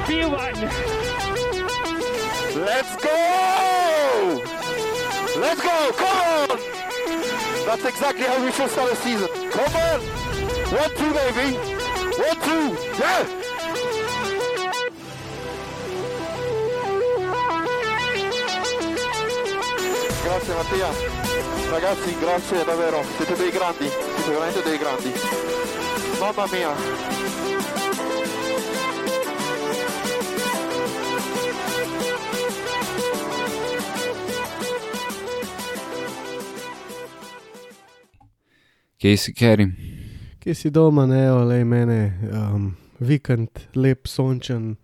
P1. Let's go! Let's go! Come on! That's exactly how we should start a season. Come on! 1-2, baby! 1-2! Yeah! Grazie Mattia. Ragazzi, grazie davvero. Siete dei grandi. Siete veramente dei grandi. Mamma mia. Kje si, Kerim? Kje si doma, ne, olej mene, vikend, lep, sončen,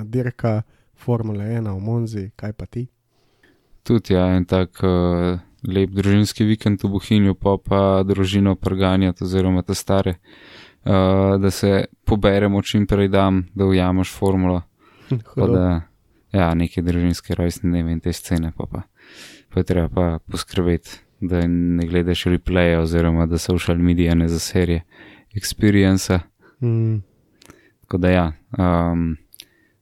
dirka Formule 1 v Monzi, kaj pa ti? Tudi ja, en tak lep družinski vikend v Bohinju, pa družino preganjati oziroma te stare, da se poberemo čim prej dam, da ujameš formulo. Da, ja, neke družinske rojstne dneve in te scene, pa je treba pa poskrbeti, da ne gledaš replaya oziroma da social media ne za serije experience. Tako da ja,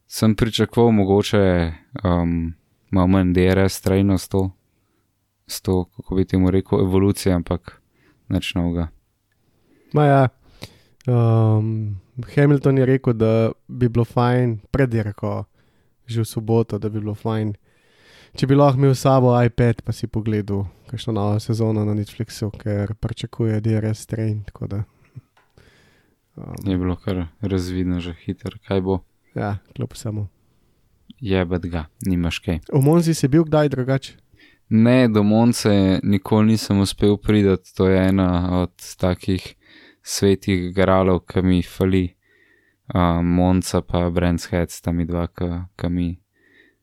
sem pričakoval mogoče malo manj DRS trajno s to, kako bi temu rekel, evolucija, ampak nič novega. Ma ja, Hamilton je rekel, da bi bilo fajn pred dirko, že v soboto, da bi bilo fajn, če bi lahko imel s sabo iPad, pa si pogledal kakšno novo sezono na Netflixu, ker pričakuje DRS train, tako da... Je bilo kar razvidno že hiter, kaj bo? Ja, kljub samo. Jebet ga, nimaš kaj. V Monzi si bil kdaj drugače? Ne, do Monce nikoli nisem uspel pridati, to je ena od takih svetih gralov, ki mi fali. Monca pa Brands Hatch sta mi dva, ki mi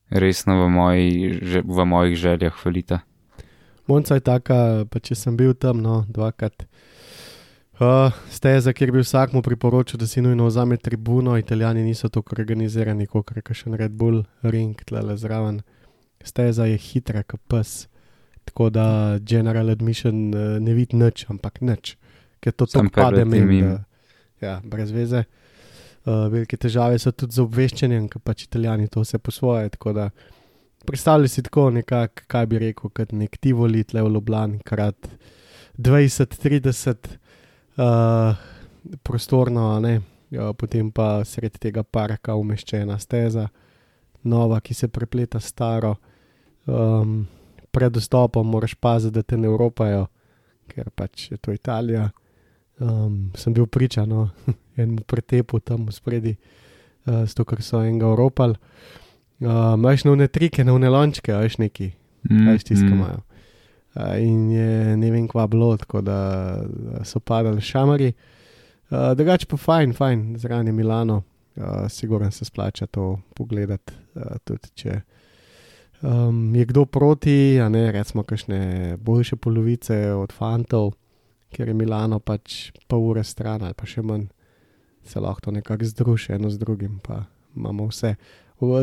resno v mojih željah falita. Monca je taka, pa če sem bil tam, no, dvakrat. Steza, kjer bi vsakmu priporočil, da si nujno vzame tribuno, Italijani niso tako organizirani, kot kakšen Red Bull ring tlele zraven. Steza je hitra, kot pes, tako da general admission ne vidi nič, ampak nič, ker to tako pade mimo. Ja, brez veze. Velike težave so tudi z obveščanjem, ker pač Italijani to vse po svoje, tako da predstavljaj si tako nekako, kaj bi rekel, kot nek Tivoli tle v Ljubljani, krat 20-30 prostorno, ne, potem pa sredi tega parka umeščena steza, nova, ki se prepleta staro, pred vstopom moraš paziti, da te ne evropajo, ker pač je to Italija. Sem bil priča, no, enemu pretepu tam v spredi, s to, ker so enega evropali. Imaš na one trike, na one lončke, veš neki, kaj stiskamajo. In je ne vem kva bilo, tako da so padali šamari. Drugače pa fajn, zraven je Milano, sigurno se splača to pogledati, tudi če je kdo proti, a ne, recimo kakšne boljše polovice od fantov, ker je Milano pač pol ure stran ali pa še manj, se lahko to nekako združi eno z drugim, pa imamo vse.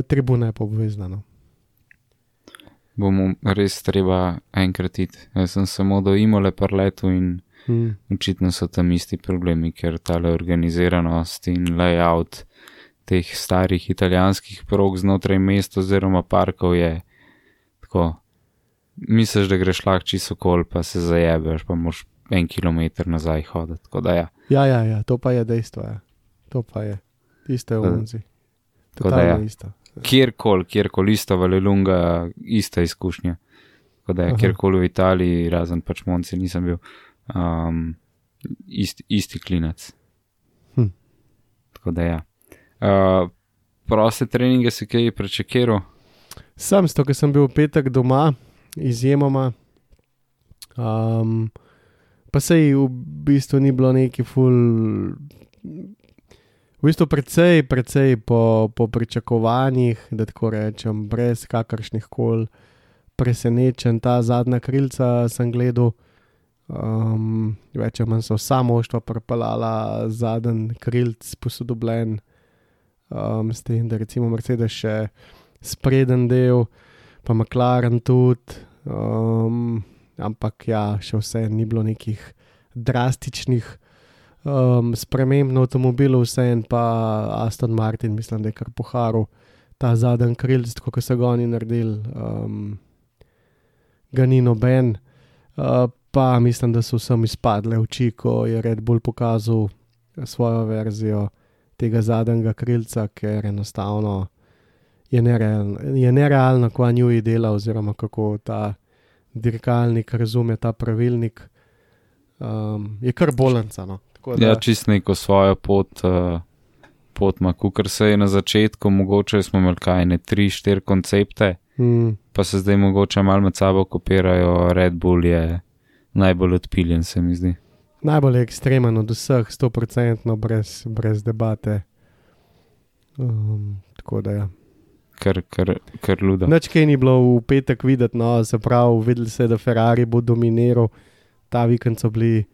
Tribuna je pa obvezna, no. Bomo res treba enkrat iti. Jaz sem samo do Imole parletu in očitno so tam isti problemi, ker tale organiziranost in layout teh starih italijanskih prog znotraj mesta oziroma parkov je tako, misliš, da greš lahko čisto okoli, pa se zajebeš, pa moraš 1 kilometer nazaj hoditi, tako da ja. Ja, to pa je dejstvo, ja. To pa je. Isto je v Monzi. Totalno isto. Kjerkoli, isto Valelunga, ista izkušnja. Tako da je, kjerkoli v Italiji, razen pač Monci nisem bil, isti klinac. Tako da ja. Proste treninge si kaj prečekiral? Sam s to, ker sem bil v petek doma, izjemoma, pa sej v bistvu ni bilo neki ful... V bistvu precej po pričakovanjih, da tako rečem, brez kakršnih kol presenečen. Ta zadnja krilca sem gledal, več ali manj so vsa moštva pripeljala zadnji krilc posodobljen, s tem, da recimo Mercedes še spreden del, pa McLaren tudi, ampak ja, še vse ni bilo nekih drastičnih sprememb na avtomobilu, vse en pa Aston Martin, mislim, da je kar poharil ta zadnji krilc, tako kot so ga oni naredili, ga ni noben. Pa mislim, da so vsem izpadle oči, ko je Red Bull pokazal svojo verzijo tega zadnjega krilca, ker enostavno je nerealno, kva Newey dela, oziroma kako ta dirkalnik razume ta pravilnik. Je kar bolanca, no. Ja, čist neko svojo pot ima, kukor se je na začetku, mogoče smo imeli kaj, 3-4 koncepte, pa se zdaj mogoče malo med sabo kopirajo. Red Bull je najbolj odpiljen, se mi zdi. Najbolj ekstremen od vseh, 100% brez debate. Tako da ja. Kar luda. Nič kaj ni bilo v petek videti, no, se pravi, videli se, da Ferrari bo dominiral. Ta vikend so bili,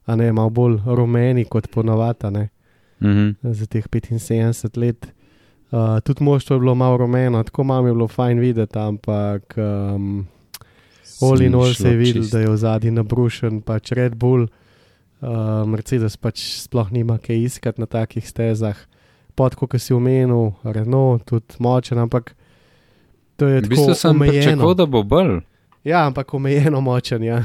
malo bolj rumeni kot ponavadi, ne. Za teh 75 let. Tudi moštvo je bilo malo rumeno, tako malo je bilo fajn videti, ampak all in all se je videl, da je v zadnji nabrušen pač Red Bull. Mercedes pač sploh nima kaj iskati na takih stezah. Kot si omenil, Renault, tudi močen, ampak to je tako omejeno. V bistvu sem pričakoval, da bo bolj. Ja, ampak omejeno močen, ja.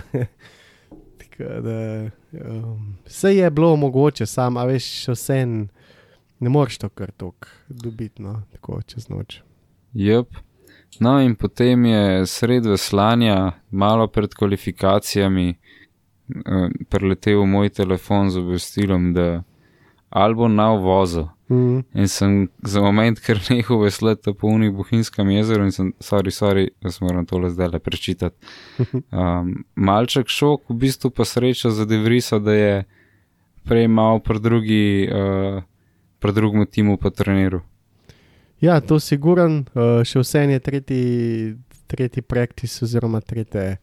Vse je bilo mogoče, a veš, vse ne moreš to kar toliko dobiti, no, tako čez noč. Jep. No in potem je sred veslanja, malo pred kvalifikacijami, preletel moj telefon z obvestilom, da Albon na uvozu. In sem za moment kar nehal veslati po unih Bohinjskem jezeru in sem, sorry, da sem moram tole zdaj prečitati. Malček šok, v bistvu pa sreča za De Vriesa, da je prej malo pri drugemu timu pa treniral. Ja, to siguran, še vse je tretji practice oziroma tretji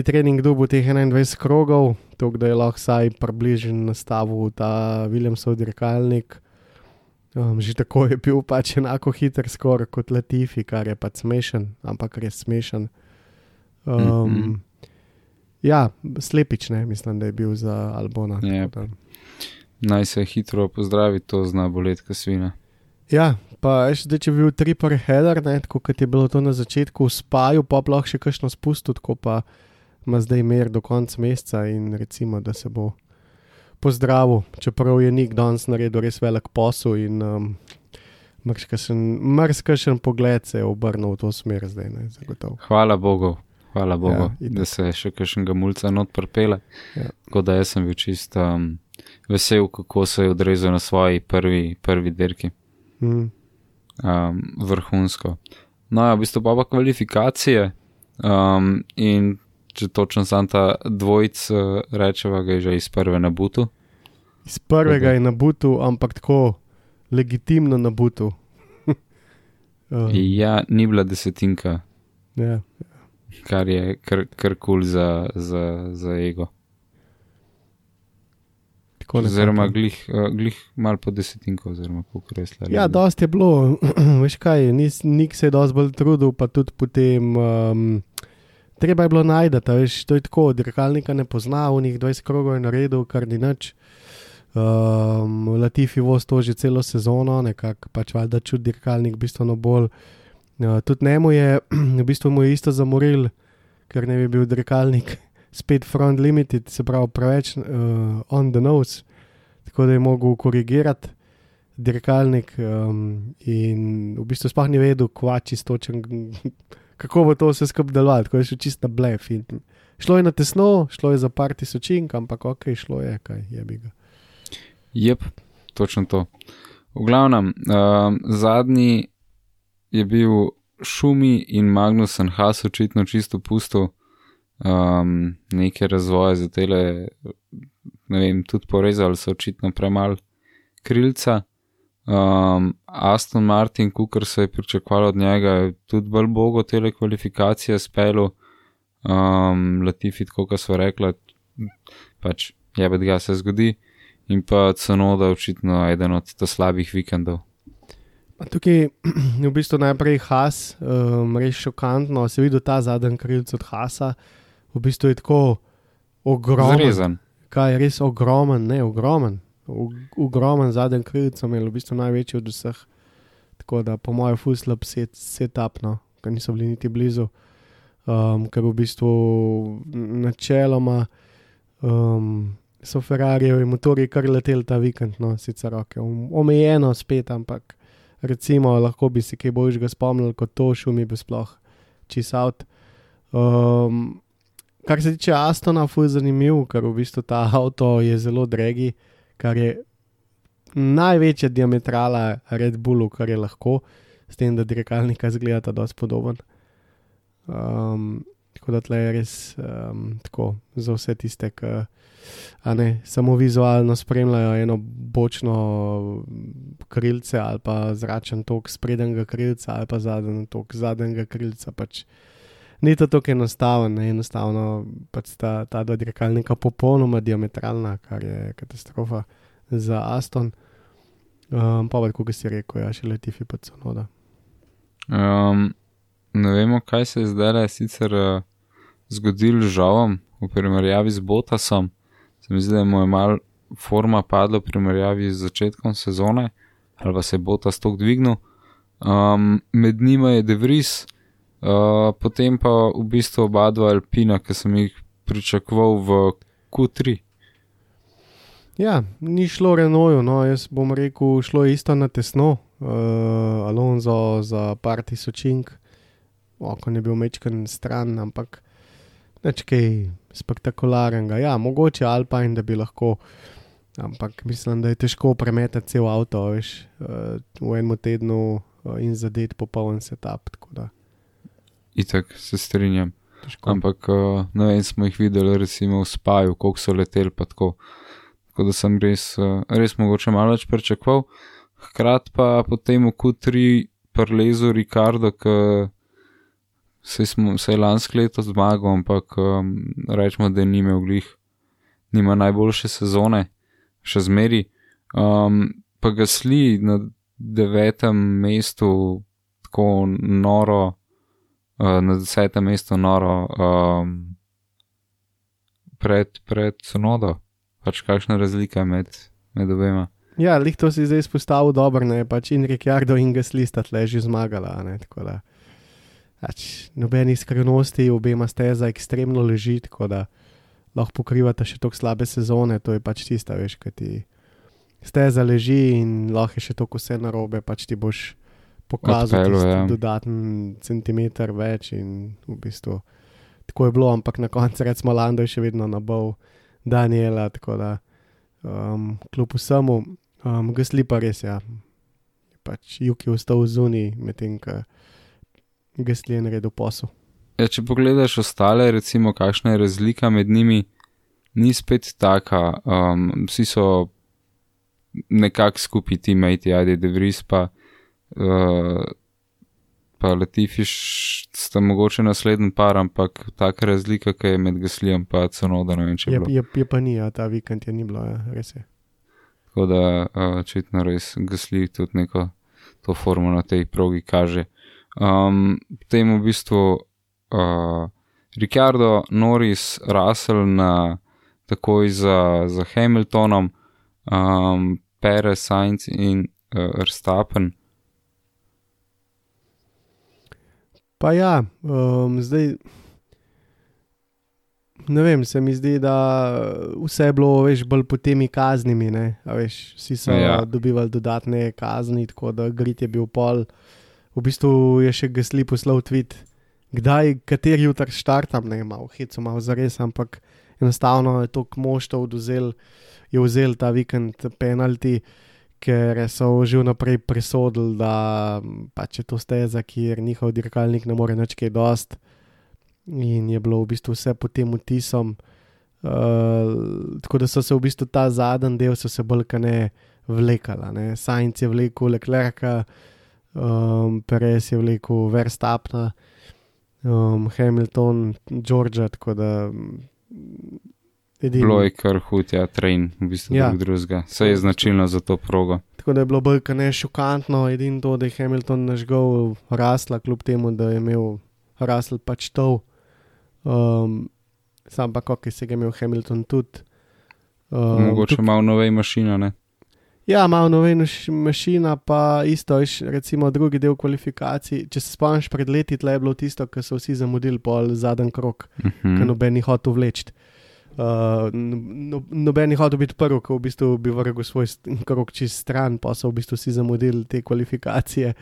trening dobil teh 21 krogov, tako da je lahko saj približen nastavil ta Williamsov dirkalnik. Že tako je bil pač enako hiter skoraj kot Latifi, kar je pač smešen, ampak res smešen. Ja, slepič, ne, mislim, da je bil za Albona. Yep. Naj se hitro pozdravi, to zna boleti kasvina. Ja, pa zdaj, če bi bil triple header, ne, tako kot je bilo to na začetku v Spaju, pa lahko še kakšno spustil, tako pa ima zdaj mer do konca meseca in recimo, da se bo pozdravil, čeprav je Nick danes naredil res velik posel in mrskašen pogled se je obrnil v to smer zdaj, ne, zagotovo. Hvala Bogu, da se še kakšnega mulca not pripele, tako da jaz sem bil čist vesel, kako se je odrezal na svoji prvi dirki. Vrhunsko. No ja, v bistvu pa kvalifikacije in če točno sam ta dvojc rečeva, ga je že iz prve na butu. Iz prvega je na butu, ampak tako legitimno na butu. Ja, ni bila desetinka. Ja. Kar je kar cool za ego. Oziroma glih malo po desetinko, oziroma koliko resla. Ja, dosti je bilo, veš kaj, Nik se je dosti bolj trudil, pa tudi potem treba je bilo najdati, veš, to je tako, dirkalnika ne pozna, v njih 20 krogov je naredil, kar ni nič. Latifi voz to že celo sezono, nekako pač valjda čut dirkalnik bistveno bolj. Tudi njemu je, v bistvu mu je isto zamoril, ker ne bi bil dirkalnik spet front limited, se pravi preveč on the nose, tako da je mogel korigirati dirkalnik in v bistvu sploh ni vedel, kako bo to vse skupaj delovalo, tako je šel čist na blef. Šlo je na tesno, šlo je za par tisočink, ampak ok, šlo je, kaj jebi ga. Jep, točno to. V glavnem, zadnji je bil Schumi in Magnussen, Haas očitno čisto pusto. Neke razvoje za tele, ne vem, tudi porezali so očitno premalo krilca. Aston Martin, kukor se je pričakovalo od njega, je tudi bolj bogo tele kvalifikacije spelu. Latifi, tako kot sva rekla, pač jebet ga se zgodi. In pa Tsunoda očitno eden od ta slabih vikendov. Tukaj v bistvu najprej Haas, res šokantno, se videl ta zadnji krilc od Haasa, v bistvu je tako ogromen. Zrezan. kaj res ogromen zadnji krilc, imel v bistvu največji od vseh. Tako da po mojem full slab setup, no, ker niso bili niti blizu. Ker v bistvu načeloma so Ferrarijevi motorji kar leteli ta vikend, no, sicer omejeno spet, ampak recimo lahko bi si kaj boljšega spomnili kot to, šumi bi sploh čist out. Kar se tiče Astona, ful zanimiv, ker v bistvu ta avto je zelo dragi, kar je največja diametrala Red Bullu, kar je lahko, s tem, da dirkalnika zgledata dosti podoben. Tako da tle je res tako za vse tiste, ki samo vizualno spremljajo eno bočno krilce ali pa zračen tok sprednjega krilca ali pa zadnji tok zadnjega krilca, pač ni to tako enostavno pač ta dva dirkalnika popolnoma diametralna, kar je katastrofa za Aston. Pa kako si rekel, ja, še Latifi pa Tsunoda. Ne vemo, kaj se je zdaj sicer zgodilo z Žavom v primerjavi z Bottasom. Se mi zdi, da mu je malo forma padla v primerjavi z začetkom sezone, ali pa se je Bottas toliko dvignil. Med njima je De Vries, potem pa v bistvu oba dva Alpina, ki sem jih pričakoval v Q3. Ja, ni šlo Renaultu, no, jaz bom rekel, šlo je isto na tesno. Alonso za par tisočink, okon je bil mečken stran, ampak nič kaj spektakularenega. Ja, mogoče Alpine, da bi lahko, ampak mislim, da je težko premetati cel avto, veš, v enem tednu in zadeti popoln setup, tako da. Itak, se strinjam. Težko. Ampak, ne vem, smo jih videli recimo v Spaju, koliko so leteli pa tako. Tako da sem res mogoče malo več pričakoval. Hkrat pa potem v Q3 prelezu Ricardo, ki se je lansko leto zmagal, ampak rečemo, da nima najboljše sezone, še zmeri. Pa Gasly na 9. mestu tako noro, na 10. mestu noro pred Tsunodo. Pač kakšna razlika med obema. Ja, lih to si zdaj izpostavil dobro, ne, pač in Ricciardo in Gasly sta tle že zmagala, ne, tako da pač nobenih skrivnosti, obema steza ekstremno leži, tako da lahko pokrivata še toliko slabe sezone, to je pač tista, veš, kad ti steza leži in lahko je še toliko vse narobe, pač ti boš pokazal dodaten centimeter več in v bistvu tako je bilo, ampak na koncu recimo Lando je še vedno nabal Daniela, tako da kljub vsemu Gasly pa res, ja, pač Yuki ostal zunaj, medtem ko Gasly je naredil posel. Ja, če pogledaš ostale, recimo kakšna je razlika med njimi, ni spet taka, vsi so nekako skupaj teammate, ajde De Vries pa Latifi sta mogoče naslednji par, ampak taka razlika, ki je med Gaslyjem pa Tsunoda, ne vem, če je bilo. Je pa ni, ja, ta vikend je ni bilo, ja, res je. Tako da očitno res Gasly tudi neko to formo na tej progi kaže. Potem v bistvu Ricciardo, Norris, Russell takoj za Hamiltonom, Perez, Sainz in Verstappen. Pa ja, zdaj ne vem, se mi zdi, da vse je bilo, veš, bolj po temi kaznimi, ne, a veš, vsi so dobivali dodatne kazni, tako da grid je bil pol, v bistvu je še Gasly poslal tweet, kateri jutr štartam, ne, malo heco, malo zares, ampak enostavno je toliko moštov vzel ta vikend penalti, ker so že vnaprej presodili, da pač je to steza, kjer njihov dirkalnik ne more nič kaj dost in je bilo v bistvu vse pod tem vtisom, tako da so se v bistvu ta zadnji del so se bolj ne vlekala, ne. Sainz je vlekel Leclerca, Perez je vlekel Verstappena, Hamilton, Georgia, tako da bilo je kar hud, ja, train, v bistvu drugega. Vse je značilno za to progo. Tako da je bilo bolj ne šokantno, edino to, da je Hamilton nažgal Russella, kljub temu, da je imel Russell pač tov. Sam pa kako se ga imel Hamilton tudi. Mogoče malo novej mašina, ne? Ja, malo novej mašina, pa isto, recimo drugi del kvalifikacij. Če se spomniš pred leti, tle je bilo tisto, ko so vsi zamudili pol zadnji krog, ker noben ni hotel vleči. Noben ni hotel biti prvi, ko v bistvu bi vrgel svoj krog čist stran, pa so v bistvu vsi zamudili te kvalifikacije.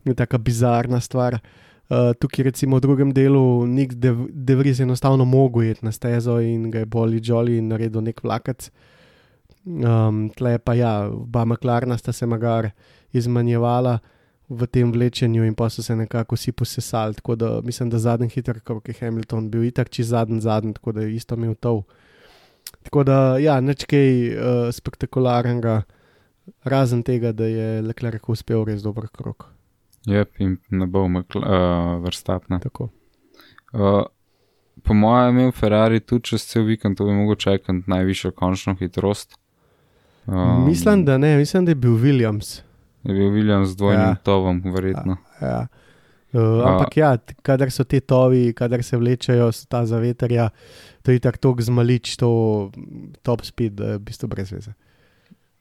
Je taka bizarna stvar. Tukaj recimo v drugem delu Nick De Vries enostavno mogel iti na stezo in ga je boli jolly in naredil nek vlakec. Tle pa ja, oba McLarena sta se magar izmanjevala v tem vlečenju in pa so se nekako vsi posesali, tako da mislim, da zadnji hiter krog je Hamilton bil itak čist zadnji, tako da je isto imel tov. Tako da ja, nič kaj spektakularnega, razen tega, da je Leclerc uspel res dober krog. Jep, in ne bo Verstappen. Tako. Po mojem je imel Ferrari tudi čez cel vikend, to bi mogel čakati najvišjo končno hitrost. Mislim, da ne, mislim, da je bil Williams. Je bil Williams z dvojnim tovom, verjetno. Ja. Ampak ja, kadar so te tovi, kadar se vlečejo, so ta zavetrja, to je tako toliko zmalič, to top speed, da je v bistvu brez veze.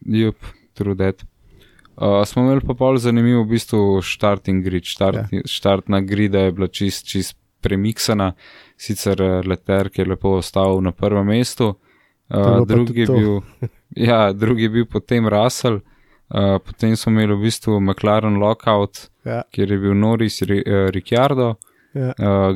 Jup, true that. Smo imeli pa pol zanimiv v bistvu starting grid. Štartna grida je bila čist premiksana, sicer Leclerc je lepo ostal na prvem mestu, drugi je bil potem Russell, potem smo imeli v bistvu McLaren lockout, kjer je bil Norris, Ricciardo,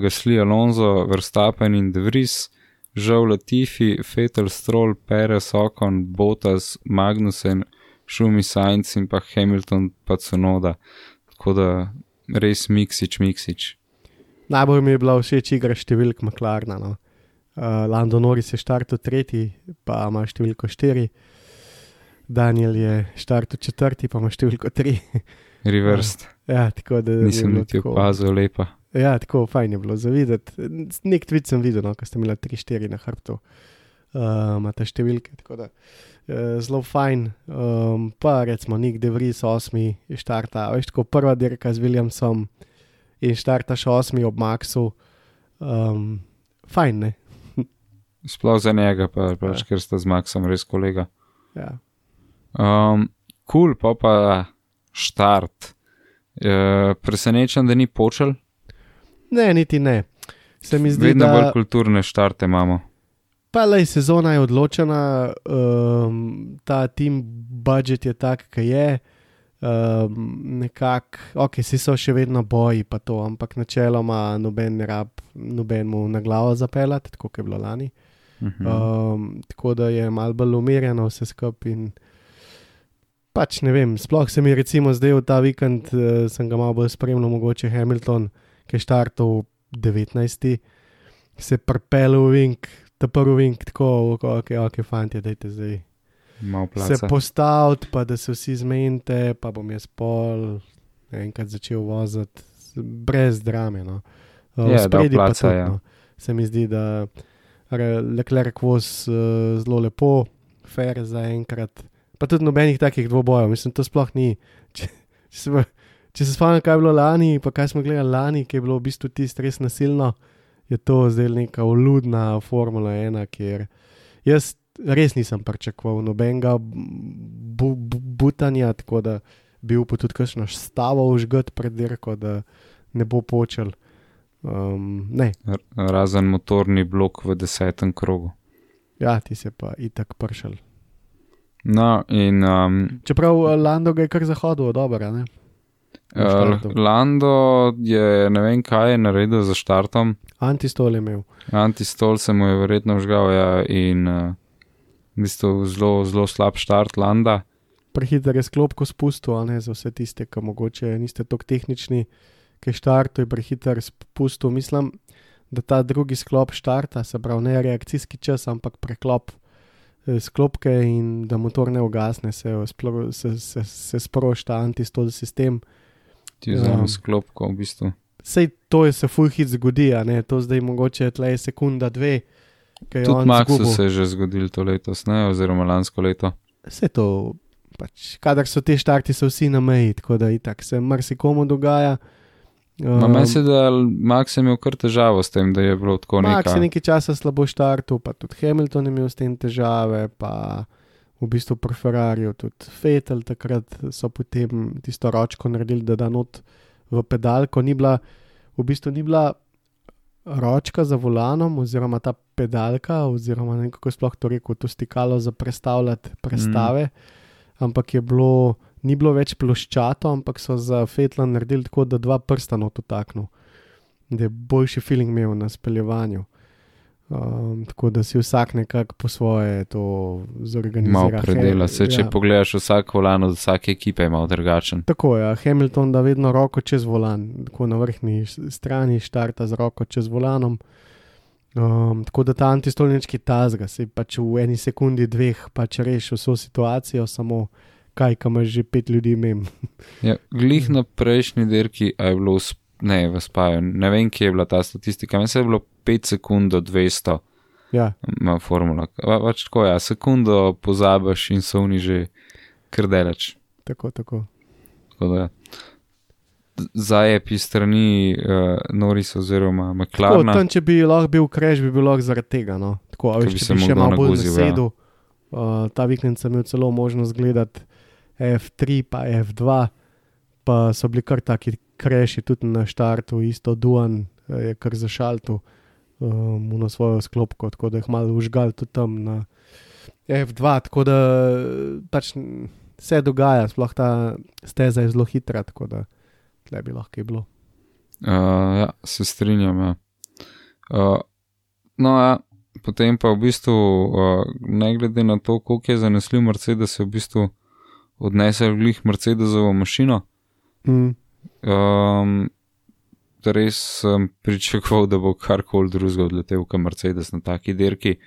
Gasly, Alonso, Verstappen in De Vries, Zhou, Latifi, Vettel, Stroll, Perez, Ocon, Bottas, Magnussen, Schumi, Sainz in pa Hamilton pa Tsunoda. Tako da res miksič. Najbolj mi je bila všeč igra številk McLarena. No. Lando Norris je štartil 3, pa ima številko 4. Daniel je štartil 4, pa ima številko 3. Reversed. Tako da nisem niti opazil, lepa. Ja, tako fajn je bilo za videti. Nek tweet sem videl, no, ko ste imeli 3-4 na hrbtu. Imate številke, tako da zelo fajn. Pa recimo Nick De Vries 8 štarta, veš, tako prva dirka z Williamsom in štartaš 8 ob Maxu. Fajn, ne? Sploh za njega, pač, ker sta z Maxom res kolega. Ja. Cool, pa štart. Presenečen, da ni počel? Ne, niti ne. Se mi zdi, vedno bolj kulturne štarte imamo. Pa lej, sezona je odločena, ta team budget je tak, kaj je, si so še vedno boji pa to, ampak načeloma noben ne rab nobenmu na glavo zapeljati, tako kot je bilo lani. Tako da je malo bolj umirjeno vse skupaj in pač ne vem, sploh se mi recimo zdaj v ta vikend, sem ga malo bolj spremljal, mogoče Hamilton, ki je štartal 19. se pripelil v vink, ta prvi vink, tako, ok, fantje, dajte zdaj se postaviti, pa da se vsi zmenite, pa bom jaz pol enkrat začel voziti, brez drame, no. Spredi pa tudi, no. Se mi zdi, da Leclerc voz zelo lepo, fair za enkrat, pa tudi nobenih takih dvobojev, mislim, to sploh ni. Če se spomnim, kaj je bilo lani, pa kaj smo gledali lani, ki je bilo v bistvu tisto res nasilno, je to zdaj neka oludna Formula 1, kjer jaz res nisem pričakoval nobenega butanja, tako da bi upal tudi kakšno stavo užgat pred dirko, da ne bo počel. Ne. Razen motorni blok v 10. krogu. Ja, ti se pa itak pršel. No, in čeprav Lando ga je kar zahodil, dobro, ne? Lando je ne vem kaj je naredil za štartom. Antistol je imel. Antistol se mu je verjetno vžgal, ja, in v bistvu zelo slab štart Landa. Prehiter je sklopko spustil, a ne, za vse tiste, ki mogoče niste toliko tehnični, ki štartu je prehiter spustil. Mislim, da ta drugi sklop štarta, se pravi ne reakcijski čas, ampak preklop sklopke in da motor ne ugasne, se sprošta antistol sistem. Ti vzame sklopko v bistvu. Sej to je se full hit zgodi, a ne, to zdaj mogoče tle sekunda, 2, kaj je on zgubil. Tudi Maxu se je že zgodil to letos, ne, oziroma lansko leto. Vse to, pač, kadar so te štarti, so vsi na meji, tako da itak se marsikomu dogaja. Meni se, da Max je imel kar težavo s tem, da je bilo tako nekaj. Max je nekaj časa slabo štartil, pa tudi Hamilton je imel s tem težave, pa v bistvu pri Ferrariju tudi Vettel takrat so potem tisto ročko naredili, da not v pedalko ni bila ročka za volanom oziroma ta pedalka oziroma ne vem, kako sploh to rekel, to stikalo za prestavljati prestave, ampak ni bilo več ploščato, ampak so za Vettla naredili tako, da 2 prsta not utaknil, da je boljši feeling imel na speljevanju. Tako da si vsak nekako po svoje to zorganizira. Malo predela se, če pogledaš vsak volan od vsake ekipe je malo drugačen. Tako je, Hamilton da vedno roko čez volan, tako na vrhni strani štarta z roko čez volanom. Tako da ta antistolnički tazga, se pač v eni sekundi, 2 pač reši vso situacijo, samo kaj, kam imaš že 5 ljudi imem. Ja, glih na prejšnji dirki, a je bilo v Spaju, ne vem, kje je bila ta statistika, mislim, da je bilo 5 sekund do 200 ima formula. Pač tako, sekundo pozabiš in so oni že kar daleč. Tako. Tako da, zajepi strani Norris oziroma McLarena. Tam, če bi lahko bil crash, bi bil lahko zaradi tega, no. Tako, če bi še malo bolj zasedel. Ta vikend sem imel celo možnost gledati F3 pa F2, pa so bili kar taki crashi tudi na štartu, isto Duan je kar zašaltil na svojo sklopko, tako da jih malo užgal tudi tam na F2, tako da pač se dogaja, sploh ta steza je zelo hitra, tako da tle bi lahko je bilo. Ja, se strinjam, ja. Potem pa v bistvu, ne glede na to, koliko je zanesljiv Mercedes, je v bistvu odnesel glih Mercedesovo mašino. Res sem pričakoval, da bo karkoli drugega odletel kot Mercedes na taki dirki,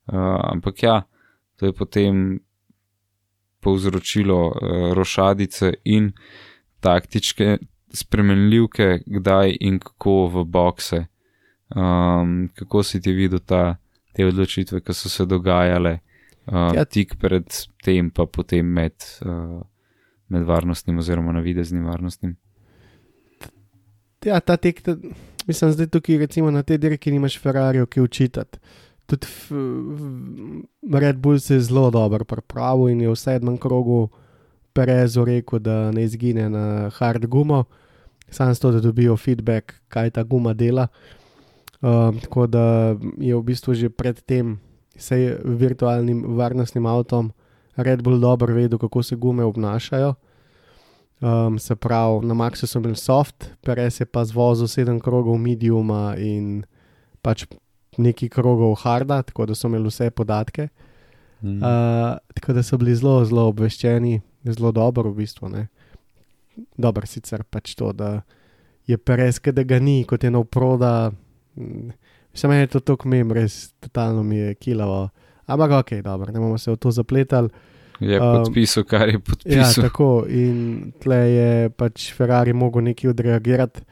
ampak ja, to je potem povzročilo rošadice in taktičke spremenljivke, kdaj in kako v bokse. Kako si ti videl te odločitve, ki so se dogajale tik pred tem, pa potem med varnostnim oziroma navideznim varnostnim? Ja, ta tek, mislim, zdaj tukaj recimo na tej dirki nimaš Ferrarijo, ki učitati. Tudi Red Bull se je zelo dobro pripravil in je v 7. krogu Perezu rekel, da ne izgine na hard gumo, samo s to, da dobijo feedback, kaj ta guma dela. Tako da je v bistvu že pred tem virtualnim varnostnim avtom Red Bull dobro vedel, kako se gume obnašajo. Se pravi, na Maxu so imeli soft, Perez je pa zvozil 7 krogov mediuma in pač nekaj krogov harda, tako da so imeli vse podatke. Tako da so bili zelo, zelo obveščeni, zelo dobro v bistvu. Ne? Dobro sicer pač to, da je Perez, da ga ni, kot je nov proda. Mislim, je to tako mem, res totalno mi je kilavo. Ampak ok, dobro, ne bomo se v to zapletali. Je podpisal, kar je podpisal. Ja, tako. In tle je pač Ferrari mogel nekaj odreagirati.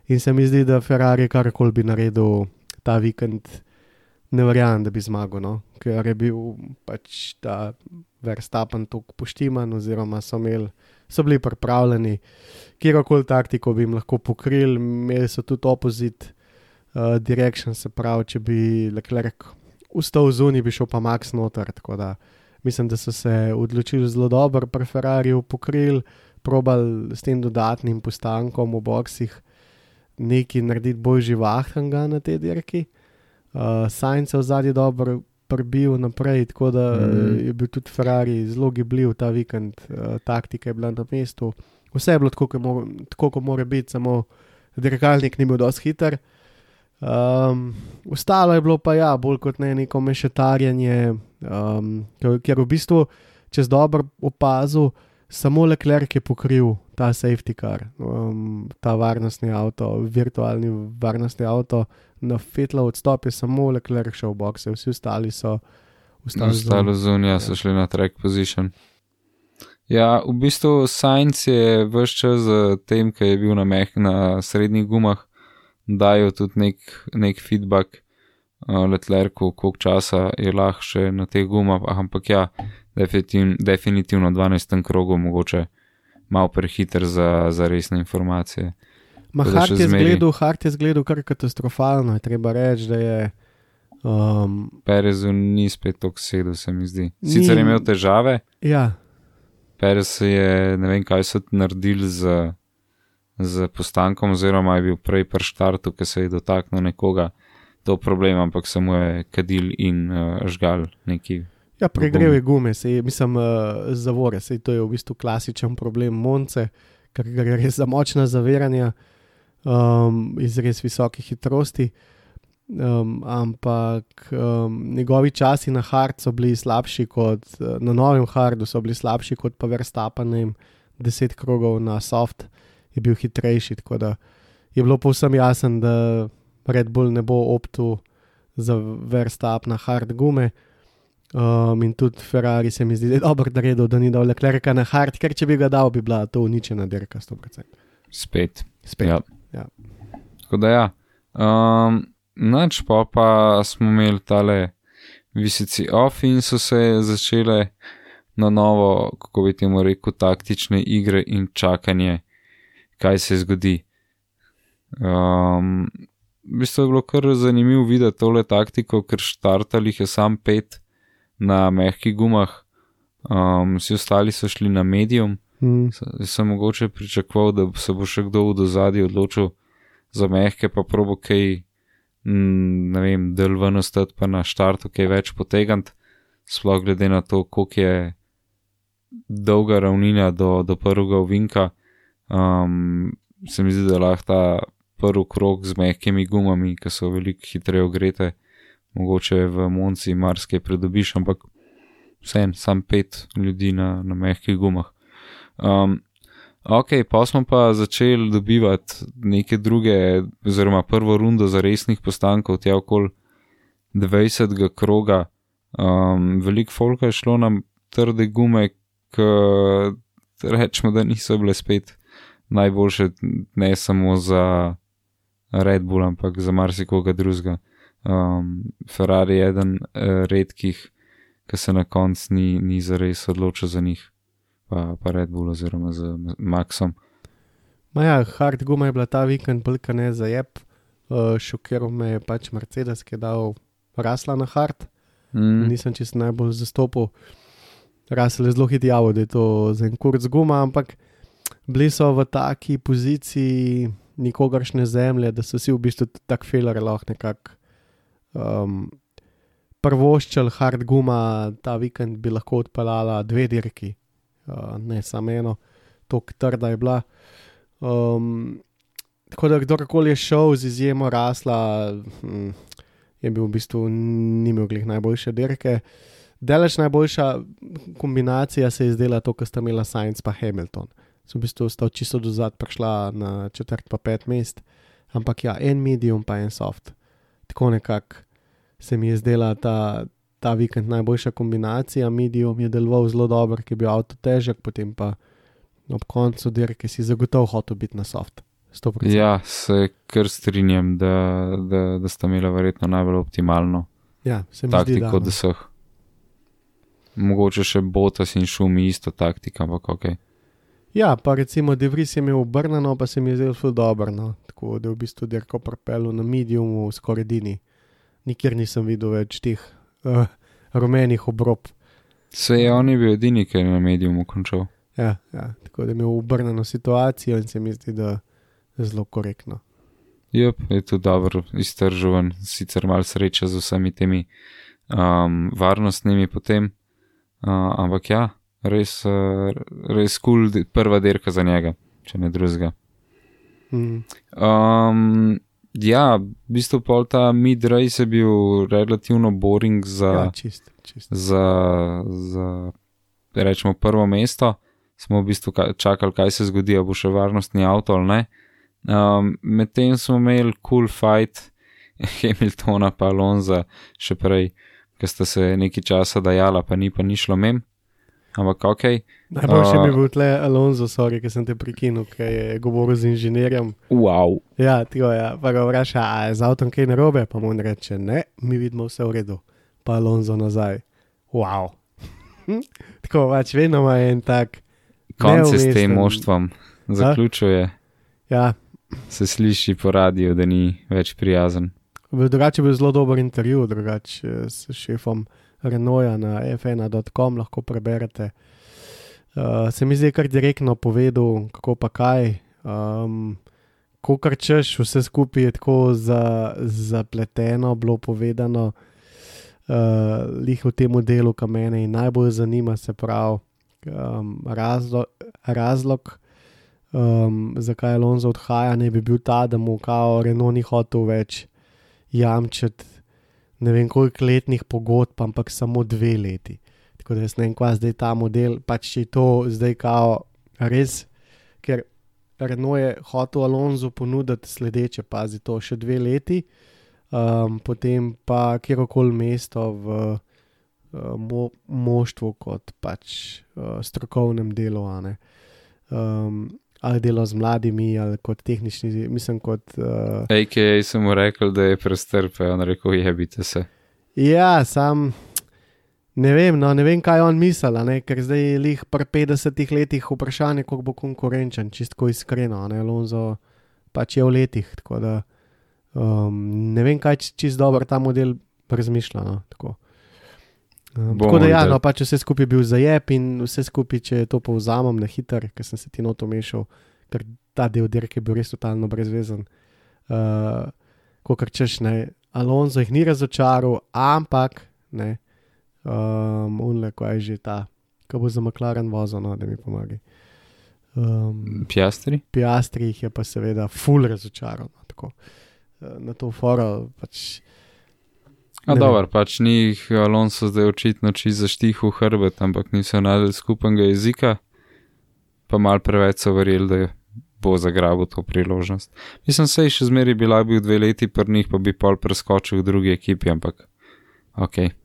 In se mi zdi, da Ferrari karkoli bi naredil ta vikend, ne verjamem, da bi zmagal, no? Ker je bil pač ta Verstappen toliko poštiman, oziroma so bili pripravljeni, kjerokoli taktiko bi jim lahko pokrili, imeli so tudi opposite direction, se pravi, če bi Leclerc ustal zunaj, bi šel pa Max noter, tako da mislim, da so se odločili zelo dobro pri Ferrariju, pokrili, probali s tem dodatnim postankom v boksih nekaj narediti bolj živahnega na tej dirki. Sainz je v zadnji dobro prebil naprej, tako da je bil tudi Ferrari zelo gibljiv ta vikend, taktika je bila na mestu. Vse je bilo tako, kot mora biti, samo dirkalnik ni bil dosti hiter. Ostalo je bilo pa ja, bolj kot ne neko mešetarjanje, ker v bistvu, če si dobro opazil, samo Leclerc je pokril ta safety car, ta varnostni avto, virtualni varnostni avto. Na Vettla odstop je samo Leclerc šel v bokse, vsi ostali so ostali zunaj, so šli na track position. Ja, v bistvu Sainz je ves čas tem, ki je bil na srednjih gumah, dajo tudi nek feedback Leclercu, koliko časa je lahko še na teh gumah, ampak ja, definitivno 12. krogu mogoče malo prehiter za resne informacije. Hart je zgledal kar katastrofalno, je treba reči, da je. Perezu ni spet toliko sedel, se mi zdi. Sicer je imel težave. Ja. Perez je, ne vem, kaj so naredili z postankom, oziroma je bil prej pri štartu, ki se je dotaknil nekoga, to problem, ampak samo je kadil in žgal neki. Ja, pregrev je gume, zavore, to je v bistvu klasičen problem Monce, ker gre res za močna zaviranja iz res visoke hitrosti, ampak njegovi časi na hard so bili slabši kot, na novem hardu so bili slabši kot pa Verstappen, 10 krogov na soft je bil hitrejši, tako da je bilo povsem jasen, da Red Bull ne bo optu za Verstappen na hard gume. In tudi Ferrari se mi zdi, da je dobro naredil, da ni dal Leclerca na hard, ker če bi ga dal, bi bila to uničena dirka 100%. Spet. Ja. Tako da ja. Nač pa smo imeli tale visici off in so se začele na novo, kako bi temu rekel, taktične igre in čakanje, kaj se zgodi. V bistvu je bilo kar zanimivo videti tole taktiko, ker štartalih je sam 5 na mehkih gumah, vsi ostali so šli na medium. Sem mogoče pričakoval, da se bo še kdo v dozadju odločil za mehke, pa probo kaj, ne vem, del ven ostati pa na štartu kaj več potegant, sploh glede na to, koliko je dolga ravnina do prvega ovinka. Se mi zdi, da lahko ta prvi krog z mehkimi gumami, ki so veliko hitreje ogrete, mogoče v Monci marsikaj pridobiš, ampak vseeno, sam 5 ljudi na mehkih gumah. Ok, pa smo pa začeli dobivati neke druge, oziroma prvo rundo za resnih postankov, tja okoli 20. kroga. Veliko folka je šlo na trde gume, ki rečemo, da niso bile spet najboljše, ne samo za Red Bull, ampak za marsikoga drugega. Ferrari je eden redkih, ki se na koncu ni zares odločil za njih, pa Red Bull oziroma z Maxom. Ja, hard guma je bila ta vikend bolj ne za jeb, šokiral me je pač Mercedes, ki je dal Russella na hard, nisem čisto najbolj zastopil. Russell je zelo hitjavo, da je to za en kurc guma, ampak bili so v taki poziciji nikogaršne zemlje, da so si v bistvu tak feler lahko nekako prvoščal hard guma, ta vikend bi lahko odpeljala 2 dirki, ne samo eno, toliko trda je bila. Tako da kdorkoli je šel z izjemo Russella, je bil v bistvu ni imel glih najboljše dirke. Deleč najboljša kombinacija se je zdela to, ko sta imela Sainz pa Hamilton. So v bistvu sta čisto dozad prišla na 4. pa 5. mest, ampak ja, en medium pa en soft. Tako nekako se mi je zdela ta vikend najboljša kombinacija. Medium je deloval zelo dobro, ker je bil avto težek, potem pa ob koncu dirke si zagotovo hotel biti na soft. 100%. Ja, se kar strinjam, da sta imela verjetno najbolj optimalno taktiko od vseh. Mogoče še Bottas in Schumi isto taktika, ampak ok. Ja, pa recimo De Vries je imel obrnjeno, pa se mi je zdelo ful dobro, no. Tako da je v bistvu dirko propelil na mediumu skoraj edini. Nikjer nisem videl več teh rumenih obrob. Se je on je bil edini, ki je na mediumu končal. Ja, tako da je imel obrnjeno situacijo in se mi zdi, da je zelo korektno. Je tudi dobro iztržovan, sicer malo sreča z vsemi temi varnostnimi potem, ampak ja, res cool prva dirka za njega, če ne drugega. Ja, v bistvu pol ta mid-race je bil relativno boring za rečemo prvo mesto. Smo v bistvu čakali, kaj se zgodi, a bo še varnostni avto ali ne. Medtem smo imeli cool fight Hamiltona pa Alonza še prej, ker sta se nekaj časa dajala, pa ni šlo mem. Ampak ok. Najboljše mi bil tle Alonso, sorry, ker sem te prekinil, ker je govoril z inženirjem. Wow. Ja, tako ja. Pa ga vpraša, a je z avtom kaj narobe? Pa mu on reče, ne, mi vidimo vse v redu. Pa Alonso nazaj. Wow. Tako, pač vedno ima en tak konce s tem moštvom zaključuje. Ja, se sliši po radiju, da ni več prijazen. Drugače je bil zelo dober intervju, s šefom Renaulta na f1.com, lahko preberete. Se mi zdi kar direktno povedal, kako pa kaj. Ko kar češ, vse skupaj je tako zapleteno, bilo povedano. Lih v tem delu, ki mene najbolj zanima, se pravi razlog, zakaj Alonso odhaja, ne bi bil ta, da mu kao Renault ni hotel več jamčiti ne vem koliko letnih pogodb, ampak samo 2 leti. Tako da jaz ne vem, kva zdaj ta model, pač je to zdaj kao res, ker Renault je hotel Alonso ponuditi sledeče, pazi to, še 2 leti, potem pa kjerokoli mesto v moštvu kot pač strokovnem delu, ali delo z mladimi, ali kot tehnični, mislim kot... AKA sem mu rekel, da je prestrpe, on rekel, jebite se. Ja, sam ne vem, kaj on misel, ker zdaj je lih pri 50 letih vprašanje, koliko bo konkurenčen, čistko iskreno, Alonso pač je v letih, tako da ne vem, kaj čist dobro ta model razmišlja, tako. Tako da ja, pač vse skupaj je bil zajeb in vse skupaj, če to povzamem na hiter, ker sem se ti noto mešal, ker ta del dirke je bil res totalno brezvezen. Kokar češ, Alonso jih ni razočaral, ampak unle, ko je že ta, ko bo za McLaren vozil, da mi pomagi. Piastri jih je pa seveda ful razočaral, tako. Na to foro pač... Dobar, pač ni jih Alonso zdaj očitno čisto zaštih v hrbet, ampak niso najdel skupnega jezika, pa malo preveč so verjeli, da bo zagrabil to priložnost. Mislim, sej še zmeri bila bil 2 leti pri njih, pa bi pol preskočil v drugi ekipi, ampak okej.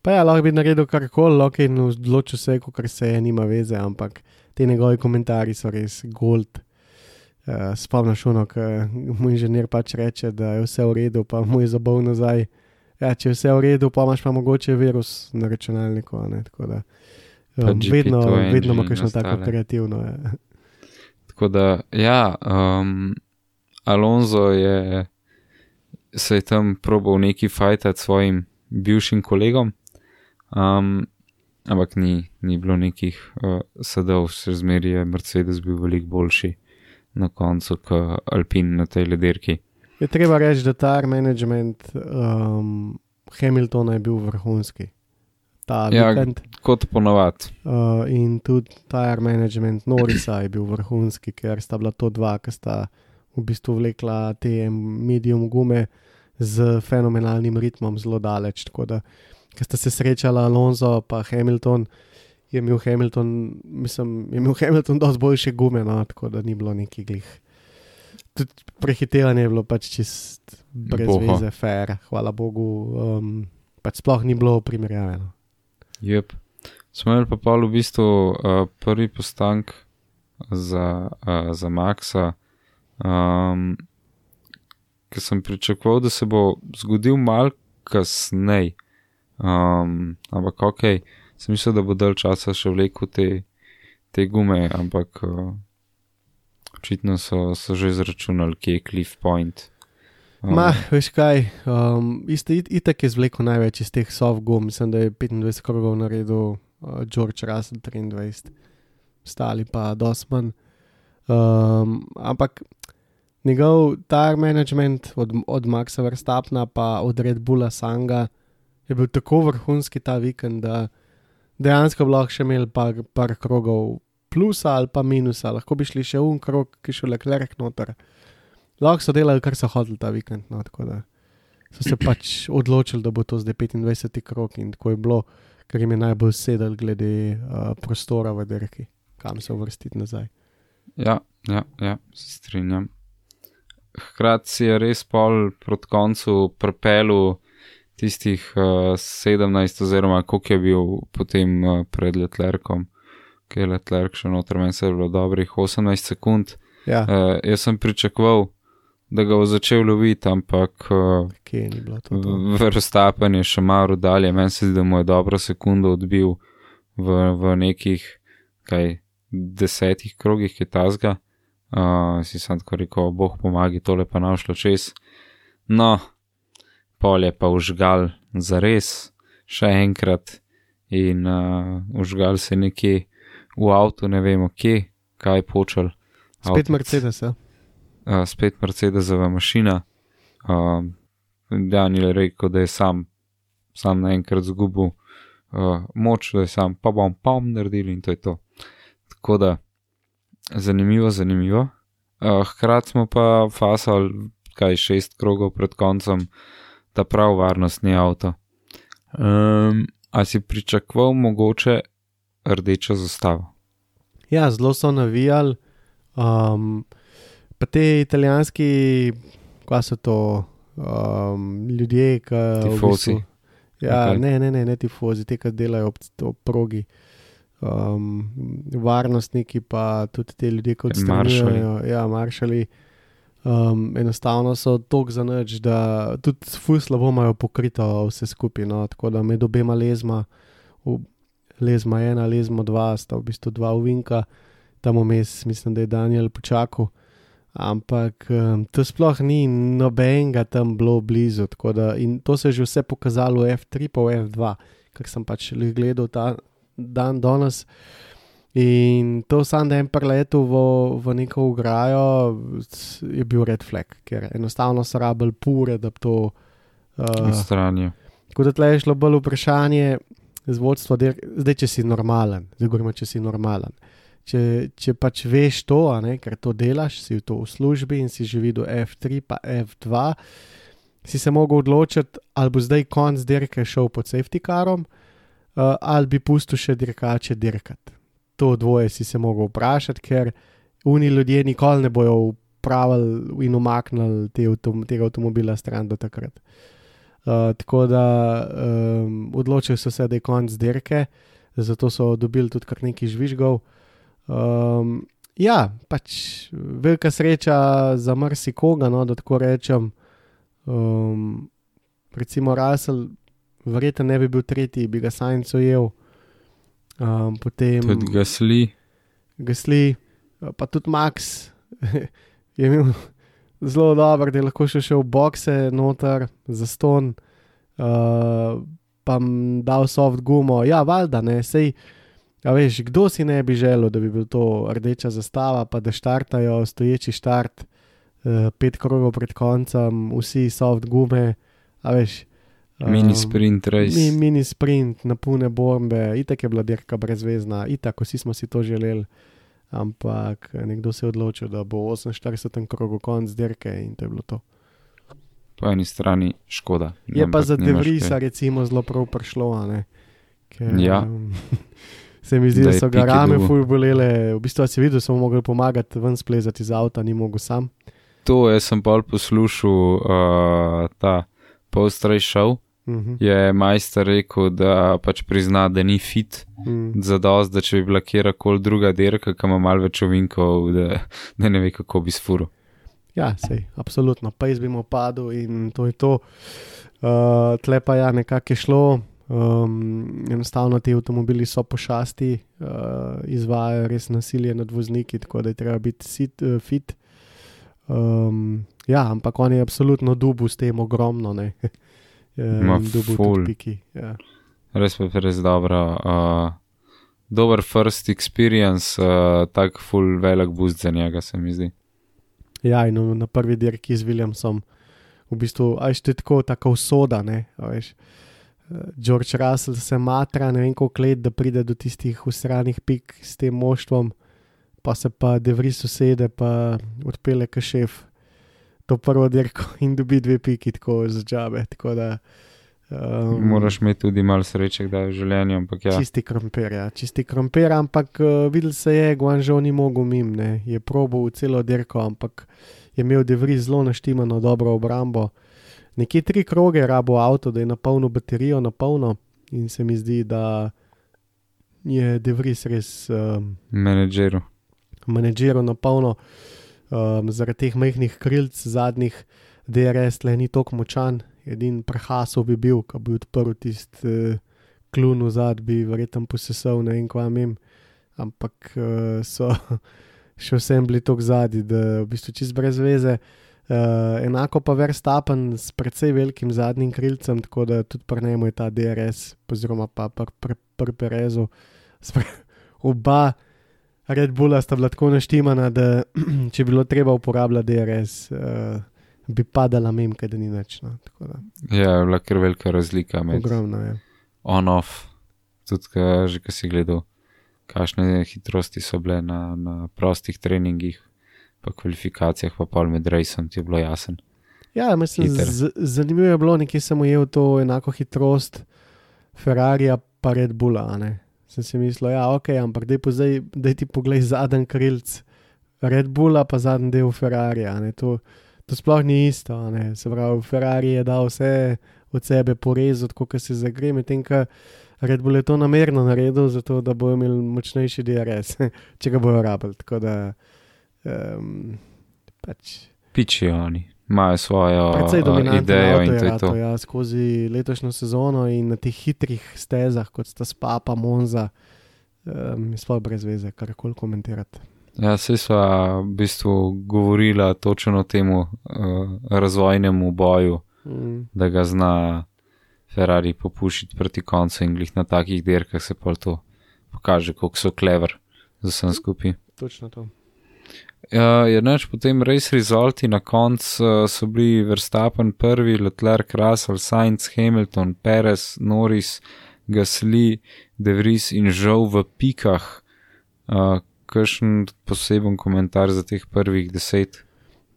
Pa ja, lahko bi naredil karkoli, in odločil se, kar se je, nima veze, ampak te njegovi komentarji so res gold. Spomniš ono, ko mu inženir pač reče, da je vse v redu, pa mu je zabol nazaj. Ja, če je vse v redu, pa imaš pa mogoče virus na računalniku, tako da vedno ima kakšno tako kreativno. Ja. Tako da, ja, Alonso se je tam probal neki fajtati svojim bivšim kolegom, ampak ni bilo nekih sadov, še zmeri je Mercedes bil veliko boljši na koncu, kot Alpine na tej ledirki. Je treba reči, da tire management Hamiltona je bil vrhunski. Vikend. Kot ponovat. In tudi tire management Norrisa je bil vrhunski, ker sta bila to 2, ki sta v bistvu vlekla te medium gume z fenomenalnim ritmom zelo daleč. Tako da, ker sta se srečala Alonso pa Hamilton, je imel Hamilton dosti boljše gume, tako da ni bilo neki glih. Tudi prehitevanje je bilo pač čist brez veze, fair, hvala Bogu, pač sploh ni bilo primerjave. Jep. Smo imeli pa pol v bistvu prvi postank za Maxa, ker sem pričakoval, da se bo zgodil malo kasnej, ampak okej, sem mislil, da bo dalj časa še vlekel te gume, ampak očitno so že izračunali, kje je Cliff Point. Veš kaj, itak je zvlekel največ iz teh soft gum, mislim, da je 25 krogov naredil George Russell 23, stali pa dosti manj. Ampak njegov tire management od Maxa Verstappna pa od Red Bulla Sanga je bil tako vrhunski ta vikend, da dejansko bi lahko še imeli par krogov plusa ali pa minusa, lahko bi šli še krog, ki šel Leclerc noter. Lahko so delali, kar so hodili ta vikend, tako da so se pač odločili, da bo to zdaj 25. krog in tako je bilo, ker jim je najbolj sedel glede prostora v dirki, kam se uvrstiti nazaj. Ja, se strinjam. Hkrati si je res pol proti koncu prepelu tistih 17 oziroma koliko je bil potem pred Leclercom, ki je Leclerc še noter, meni se je bilo dobrih 18 sekund. Ja. Jaz sem pričakoval, da ga bo začel loviti, ampak Verstappen je še malo dalje, meni se zdi, da mu je dobro sekundo odbil v nekih 10 krogih je tazga, Si sem tako rekel, boh pomagi, tole pa našlo čez. No, pol je pa užgal zares, še enkrat in užgal se nekje v avtu, ne vemo kje, kaj počel. Spet Mercedes, ja. Spet Mercedesova mašina. Daniel je rekel, da je sam naenkrat zgubil moč, da je sam pa bom naredil in to je to. Tako da, zanimivo. Hkrati smo pa fasali 6 krogov pred koncem ta prav varnostni avto. A si pričakoval mogoče rdečo zastavo? Ja, zelo so navijali. Pa te italijanski, kaj so to, ljudje, ki Tifosi. Ja, Okay. ne tifozi, te, ki delajo ob progi. Varnostniki pa tudi te ljudje, ki odstranjujejo. Ja, maršali. Enostavno so toliko za nič, da tudi ful slabo imajo pokrito vse skupaj, no, tako da med obema lezma 1, lezma 2, sta v bistvu 2 ovinka, tam vmes mislim, da je Daniel počakal, ampak to sploh ni nobenega tam bilo blizu, tako da in to se je že vse pokazalo v F3 pa v F2, kak sem pač gledal ta dan danes. In to sam, da je preletel v neko ograjo, je bil red flag, ker enostavno so rabili pure, da bi to Stranijo. Tako da tle je šlo bolj vprašanje z vodstva, zdaj če si normalen, če pač veš to, a ne, ker to delaš, si to v službi in si že videl F3 pa F2, si se mogel odločiti, ali bo zdaj konc dirke šel pod safety carom, ali bi pustil še dirkače dirkati. To dvoje si se mogel vprašati, ker oni ljudje nikoli ne bojo upravili in umaknili tega avtomobila stran do takrat. Tako da odločili so se, da je konc dirke, zato so dobili tudi kar nekaj žvižgov. Ja, pač velika sreča za marsikoga, no, da tako rečem. Recimo Russell verjetno ne bi bil tretji, bi ga Sainz ujel. Potem Tudi Gasly, pa tudi Max je imel zelo dober, da je lahko še v bokse noter za ston, pa dal soft gumo. Ja, valjda, ne, sej, a veš, kdo si ne bi želel, da bi bil to rdeča zastava, pa da štartajo stoječi štart, 5 krogov pred koncem, vsi soft gume, a veš. mini sprint race. Mini sprint, napune bombe, itak je bila dirka brezvezna, itak, vsi smo si to želeli, ampak nekdo se je odločil, da bo 48. krogu konc dirke in to je bilo to. Po eni strani škoda. Je pa za De Vriesa recimo zelo prav prišlo, a ne? Ker, Ja. Se mi zdi, da so ga Piki rame dobil. ful bolele, v bistvu si videl, so mu mogli pomagati ven splezati iz avta, ni mogel sam. To jaz sem pol poslušal ta post-race show. Je majster rekel, da pač prizna, da ni fit zadost, da če bi bila kjerkoli druga dirka, ki ima malo več ovinkov, da ne ve, kako bi sfuril. Ja, sej, absolutno, pa jaz bi mu padel in to je to. Tle pa ja, nekako je šlo, enostavno ti avtomobili so pošasti, izvajajo res nasilje nad vozniki, tako da je treba biti fit. Ja, ampak on je absolutno dubu s tem ogromno, ne. Ma ful. Ja. Res pa je res dobro. Dober first experience, tak full velik boost za njega, se mi zdi. Ja, in na prvi dirki z Williamsom, v bistvu, a je tako, taka usoda, ne, a veš. George Russell se matra, ne vem koliko let, da pride do tistih usranih pik s tem moštvom, pa se pa De Vries usede, pa odpele ka šef to prvo dirko in dobi 2 piki tako za džabe, tako da Moraš imeti tudi malo sreče, kdaj v življenju, ampak ja. Čisti krompir, ampak videl se je, Guangzhou ni mogel mim, ne, je probal celo dirko, ampak je imel De Vries zelo naštimano dobro obrambo. Nekje 3 kroge rabo avto, da je napolnil baterijo napolno in se mi zdi, da je De Vries res menedžiral napolno, zaradi teh majhnih krilc zadnjih DRS tle ni toliko močan, edin prehasov bi bil, ko bi odprl tisti klun vzad, bi verjetno posesal, ne vem kva mem, ampak so še vsem bili tako zadnji, da v bistvu čist brez veze. Enako pa Verstappen s precej velikim zadnjim krilcem, tako da tudi pri njemu je ta DRS, oziroma pa pri Perezu. Oba Red Bulla sta bila tako naštimana, da če bilo treba uporabljati DRS, bi padala mimka, da ni nič. No, ja, je bila kar velika razlika med ogromno, ja. On-off, tudi že ko si gledal, kakšne hitrosti so bile na prostih treningih, pa kvalifikacijah, pa pol med rejsom ti je bilo jasen. Ja, mislim, zanimivo je bilo, nekje sem ujel to enako hitrost Ferrarija pa Red Bulla, ne. Sem si mislil, ja, ok, ampak daj ti poglej zadnji krilc Red Bulla pa zadnji del Ferrarija, ne. To sploh ni isto, ne. Se pravi, Ferrari je dal vse od sebe porezati, kot se zagre, medtem ko Red Bull je to namerno naredil, zato da bojo imeli močnejši DRS, če ga bojo rabili, tako da Pičijo oni, imajo svojo idejo in to je to. Ja, skozi letošnjo sezono in na teh hitrih stezah, kot sta Spa pa Monza, je sploh brez veze, karkoli komentirati. Ja, saj sva v bistvu govorila točno o temu razvojnemu boju, da ga zna Ferrari popušiti proti koncu in glih na takih dirkah se pa to pokaže, koliko so clever za vsem skupaj. Točno to. Je neč potem race resulti na koncu so bili Verstappen prvi, Leclerc, Russell, Sainz, Hamilton, Perez, Norris, Gasly, De Vries in Zhou v pikah. Kakšen poseben komentar za teh prvih 10?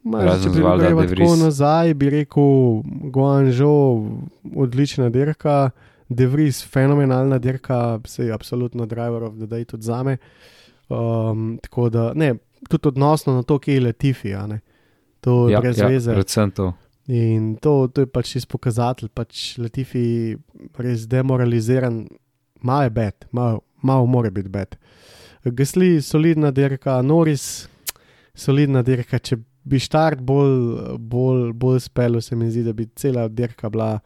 Če bi greva tako nazaj, bi rekel Guangzhou odlična dirka, De Vries fenomenalna dirka, sej absolutno driver of the day tudi zame. Tako da, ne, tudi odnosno na to, kje je Latifi, a ne. To je brez veze. Predvsem to. In to je pač čist pokazatelj, pač Latifi res demoraliziran, malo je bad, malo more biti bad. Gasly, solidna dirka, Norris, solidna dirka, če bi štart bolj spelo, se mi zdi, da bi cela dirka bila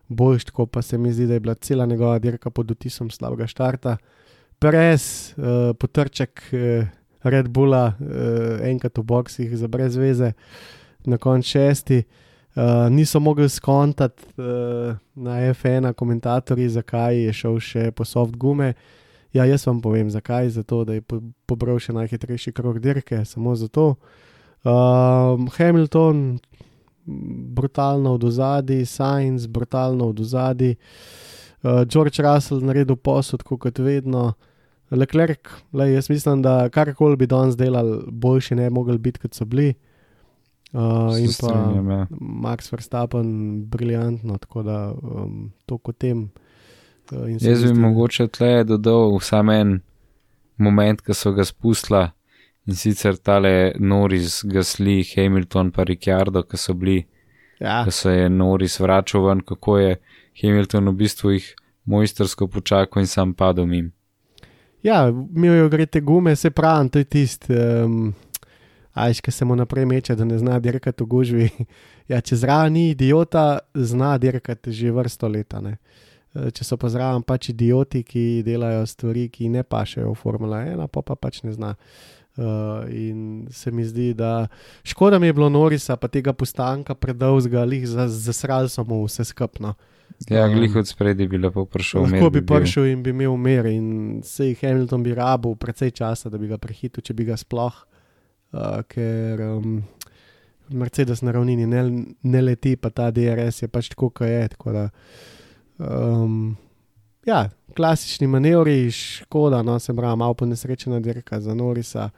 boljš, tako pa se mi zdi, da je bila cela njegova dirka pod vtisom slabega štarta. Perez, potrček Red Bulla, enkrat v boksih za brez veze, na konc 6. Niso mogli skontati na F1 komentatorji, zakaj je šel še po soft gume. Ja, jaz vam povem, zakaj, zato da je pobral še najhitrejši krog dirke, samo zato. Hamilton, brutalno od ozadij, Sainz, brutalno od ozadij, George Russell naredil posod, kot vedno, Leclerc, jaz mislim, da karkoli bi danes delali, boljši ne mogli biti, kot so bili. In pa Max Verstappen, briljantno, tako da to kot tem. Jaz bi mogoče tle dodal sam en moment, ko so ga spustila, in sicer tale Norris, Gasly, Hamilton pa Ricciardo, ko so bili, ko se je Norris vračal ven, kako je Hamilton v bistvu jih mojstersko počakal in sam padel mim. Ja, imel je ogrete gume, se pravim, to je tist, ko se mu naprej meče, da ne zna dirkati v gužvi. Ja, če zraven ni idiota, zna dirkati že vrsto leta, ne. Če so pa zraven pač idioti, ki delajo stvari, ki ne pašejo v Formula 1, pa pač ne zna. In se mi zdi, da škoda mi je bilo Norrisa, pa tega postanka predolzga, zasrali so mu vse skupno. Ja, glih od spredi bi lepo prišel mer. Lahko bi prišel in bi imel mer in sej Hamilton bi rabil precej časa, da bi ga prehitil, če bi ga sploh, ker Mercedes na ravnini ne leti, pa ta DRS je pač tako, kot je, tako da ja, klasični manevri, škoda, no, se pravi, malo ponesrečena dirka za Norrisa,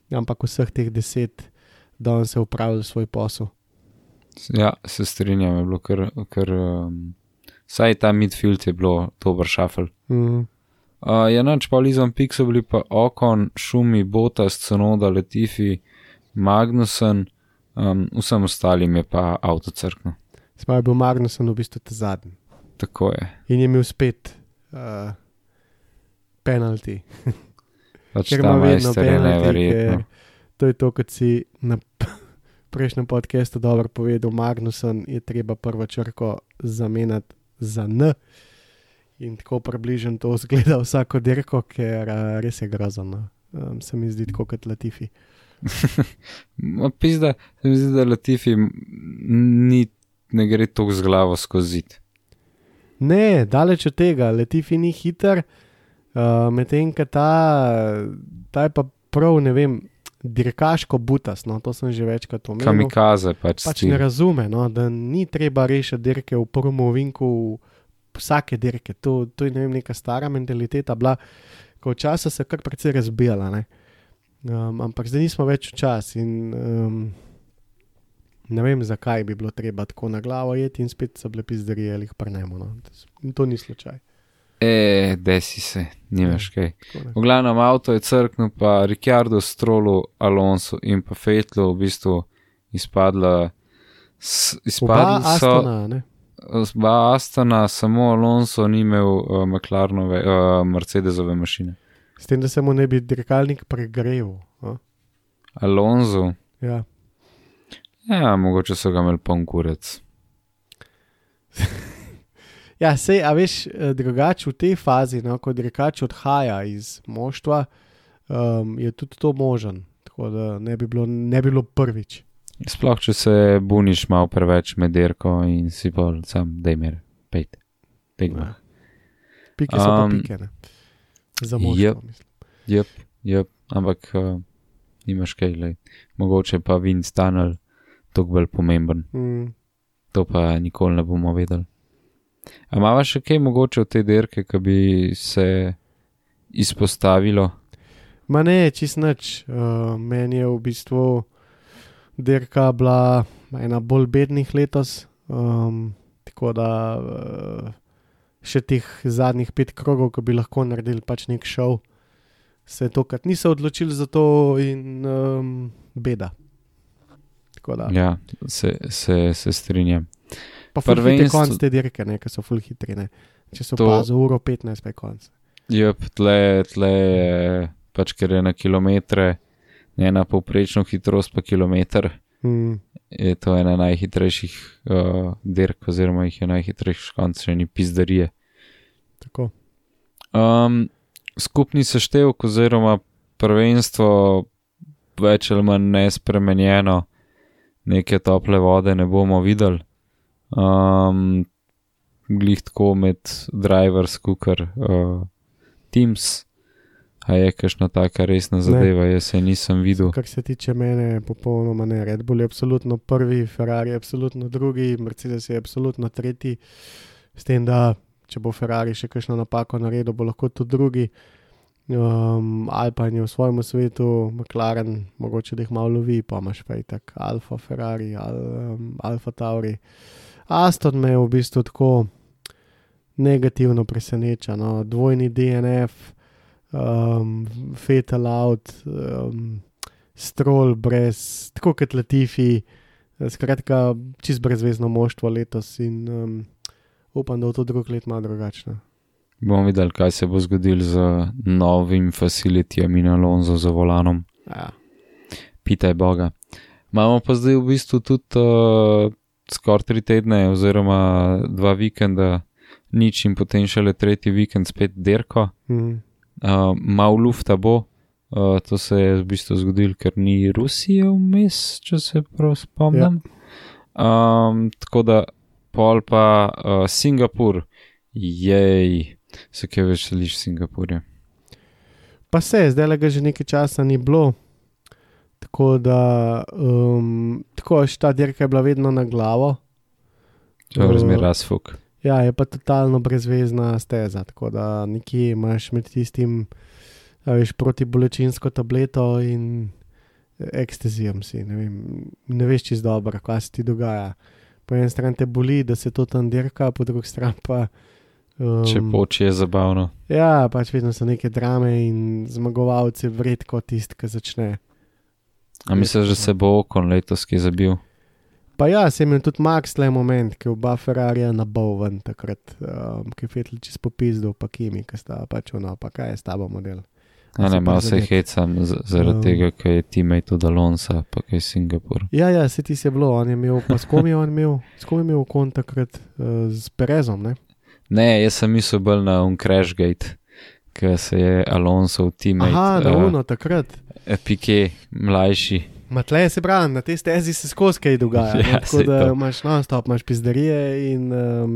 ampak vseh teh 10 dan se upravil svoj posel. Ja, se strinjam, je bilo kar saj ta midfield je bilo dober šafel. Janač pa izven pik so bili pa Ocon, Schumi, Bottas, Tsunoda, Latifi, Magnussen, vsem ostalim je pa avto crkno. Smo je bil Magnussen v bistvu te zadnji. Tako je. In je imel spet penalty. Pač ta majster je neverjetno. To je to, kot si na prejšnjem podcastu dobro povedal, Magnussen je treba prvo črko zamenjati za N in tako približno to zgleda vsako dirko, ker res je grozno. se mi zdi tako kot Latifi. Pizda, se mi zdi, da Latifi ne gre toliko z glavo skozi zid. Ne, daleč od tega, Latifi ni hiter, medtem ko ta je pa prav, ne vem, dirkaško butas, no, to sem že večkrat omenil. Kamikaze pač ne razume, no, da ni treba rešiti dirke v prvem ovinku vsake dirke. To je, ne vem, neka stara mentaliteta bila, ko včasih se kar precej razbijala, ne. Ampak zdaj nismo več v čas in ne vem, zakaj bi bilo treba tako na glavo jeti in spet so bile pizdarije ali jih prnemo, no. To ni slučaj. Desi se, nimaš kaj. V glavnem avto je crknil, pa Ricciardo, Strollu, Alonso in pa Vettlu v bistvu izpadla Oba Astona, ne? Oba Astona, samo Alonso ni imel McLarenove, Mercedesove mašine. S tem, da se mu ne bi dirkalnik pregrel. Alonso? Ja. Ja, mogoče so ga imeli poln kurec. Ja, sej, a veš, drugače v tej fazi, no, ko dirkač odhaja iz moštva, je tudi to možen. Tako da ne bi bilo prvič. Sploh, če se buniš malo preveč med dirko in si bolj sam, daj mir, pejte. Ja. Pike so pa pike, ne? Za moštvo, mislim. Jep, ampak nimaš kaj, lej. Mogoče pa Vince Tunnel toliko bolj pomemben. To pa nikoli ne bomo vedeli. A imava še kaj mogoče v tej dirke, ki bi se izpostavilo? Ma ne, čist nič. Meni je v bistvu dirka bila ena bolj bednih letos, tako da še teh zadnjih 5 krogov, ko bi lahko naredili pač nek šov, se tokrat niso odločili za to in beda. Tako da. Ja, se strinjam. Pa ful hitri konc te dirke, ne, ker so ful hitri, ne. Če so pa za uro 15 pa je konc. Jep, tle pač ker je na kilometre, ena povprečno hitrost pa kilometer, je to ena najhitrejših dirk, oziroma jih je najhitrejših konc, še ni pizdarije. Tako. Skupni seštevek oziroma prvenstvo več ali manj nespremenjeno, neke tople vode ne bomo videli. Glih tako med drivers, kukar teams, a je kakšna taka resna zadeva, jaz se nisem videl. Kar se tiče mene, popolnoma ne. Red Bull je absolutno prvi, Ferrari je absolutno drugi, Mercedes je absolutno tretji, s tem, da če bo Ferrari še kakšno napako naredil, bo lahko tudi drugi. Alpine je v svojem svetu, McLaren, mogoče da jih malo lovi, pa imaš pa itak Alfa Ferrari, Alfa Tauri. Aston me je v bistvu tako negativno preseneča, no. Dvojni DNF, Vettel out, Stroll brez, tako kot Latifi, skratka čist brezvezno moštvo letos in upam, da v to drug let malo drugačno. Bomo videli, kaj se bo zgodil z novim facilitijem in Alonso za volanom. Ja. Pitaj Boga. Imamo pa zdaj v bistvu tudi skoraj 3 tedne oziroma 2 vikenda nič in potem šele 3. vikend spet dirko. Malo lufta bo, to se je v bistvu zgodil, ker ni Rusije vmes, če se prav spomnim. Tako da pol pa Singapur, jej, se kaj več želiš Singapurja? Pa zdaj ga že nekaj časa ni bilo, tako da tako ta dirka je bila vedno na glavo. Razmer razfuk. Ja, je pa totalno brezvezna steza, tako da nekje imaš med tistim, veš, protibolečinsko tableto in ekstazijom si, ne vem, ne veš čisto dobro, kaj se ti dogaja. Po eni strani te boli, da se to tam dirka, po drugi strani pa če poči je zabavno. Ja, pač vedno so neke drame in zmagovalci vred kot tisti, ki začne. A misliš, da se bo Ocon letos ki zabil? Pa ja, se imel tudi Max tle moment, ki oba Ferrarija nabal ven takrat, ki je Vettel čist popizdil, pa Kimi, ki sta pač ono, pa kaj je s tabo model. A ne, malo se hecam zaradi tega, kaj je teammate od Alonsa, pa kaj Singapur. Ja, se ti se bilo, on je imel, pa s kom je imel Ocon takrat, z Perezom, ne? Ne, jaz sem mislil bolj na Crashgate, ki se je Alonso teammate. Aha, na uno takrat. Piqué, mlajši. Matle se pravi, na tej stezi se skozi kaj dogaja. Ja, tako da imaš non-stop, imaš pizderije in...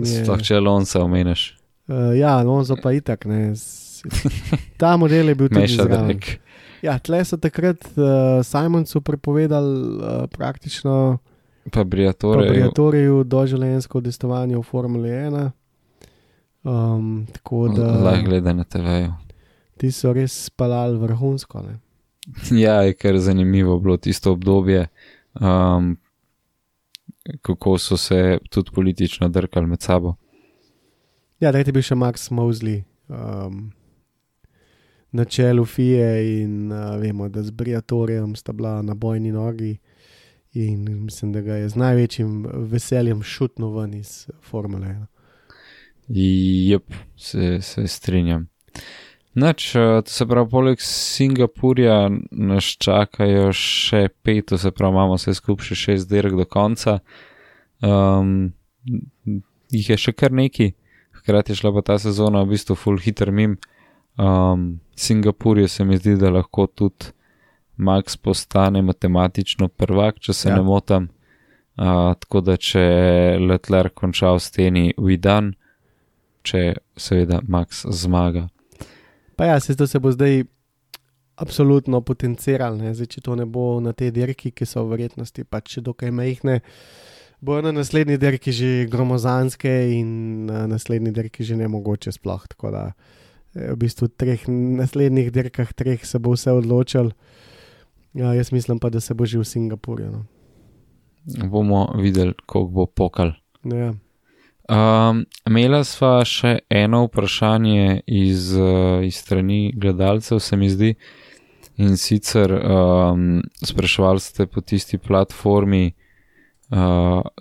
Sploh če Alonso omeniš. Ja, Alonso pa itak, ne. Ta model je bil tudi zraven. Ja, tle so takrat Simonsu prepovedali praktično pa Briatoriju doživljenjsko udejstvovanje v Formuli 1. Tako da... Lahko gleda na TV-ju. Ti so res spalali vrhunsko, ne. Ja, je kar zanimivo bilo tisto obdobje, kako so se tudi politično drkali med sabo. Ja, takrat je bil še Max Mosley na čelu FIE in vemo, da z Briatorijem sta bila na bojni nogi in mislim, da ga je z največjim veseljem šutno ven iz Formule 1. Jep, se strinjam. Nač, to se pravi, poleg Singapurja nas čakajo še 5, to se pravi, imamo vse skupaj še 6 dirk do konca. Jih je še kar neki, hkrati je šla pa ta sezona v bistvu full hiter mim. Singapurju se mi zdi, da lahko tudi Max postane matematično prvak, če se ne motam. Tako da če Leclerc konča v steni, Vidan, če seveda Max zmaga. Pa ja, to se bo zdaj absolutno potenciral, ne? Zdaj, če to ne bo na te dirki, ki so v verjetnosti pač dokaj majhne, bojo na naslednji dirki že gromozanske in na naslednji dirki že nemogoče sploh, tako da v bistvu v naslednjih dirkah 3 se bo vse odločil. Ja, jaz mislim pa, da se bo že v Singapurju. No. Bomo videli, koliko bo pokal. Ja. Imela sva še eno vprašanje iz strani gledalcev, se mi zdi, in sicer spraševali ste po tisti platformi,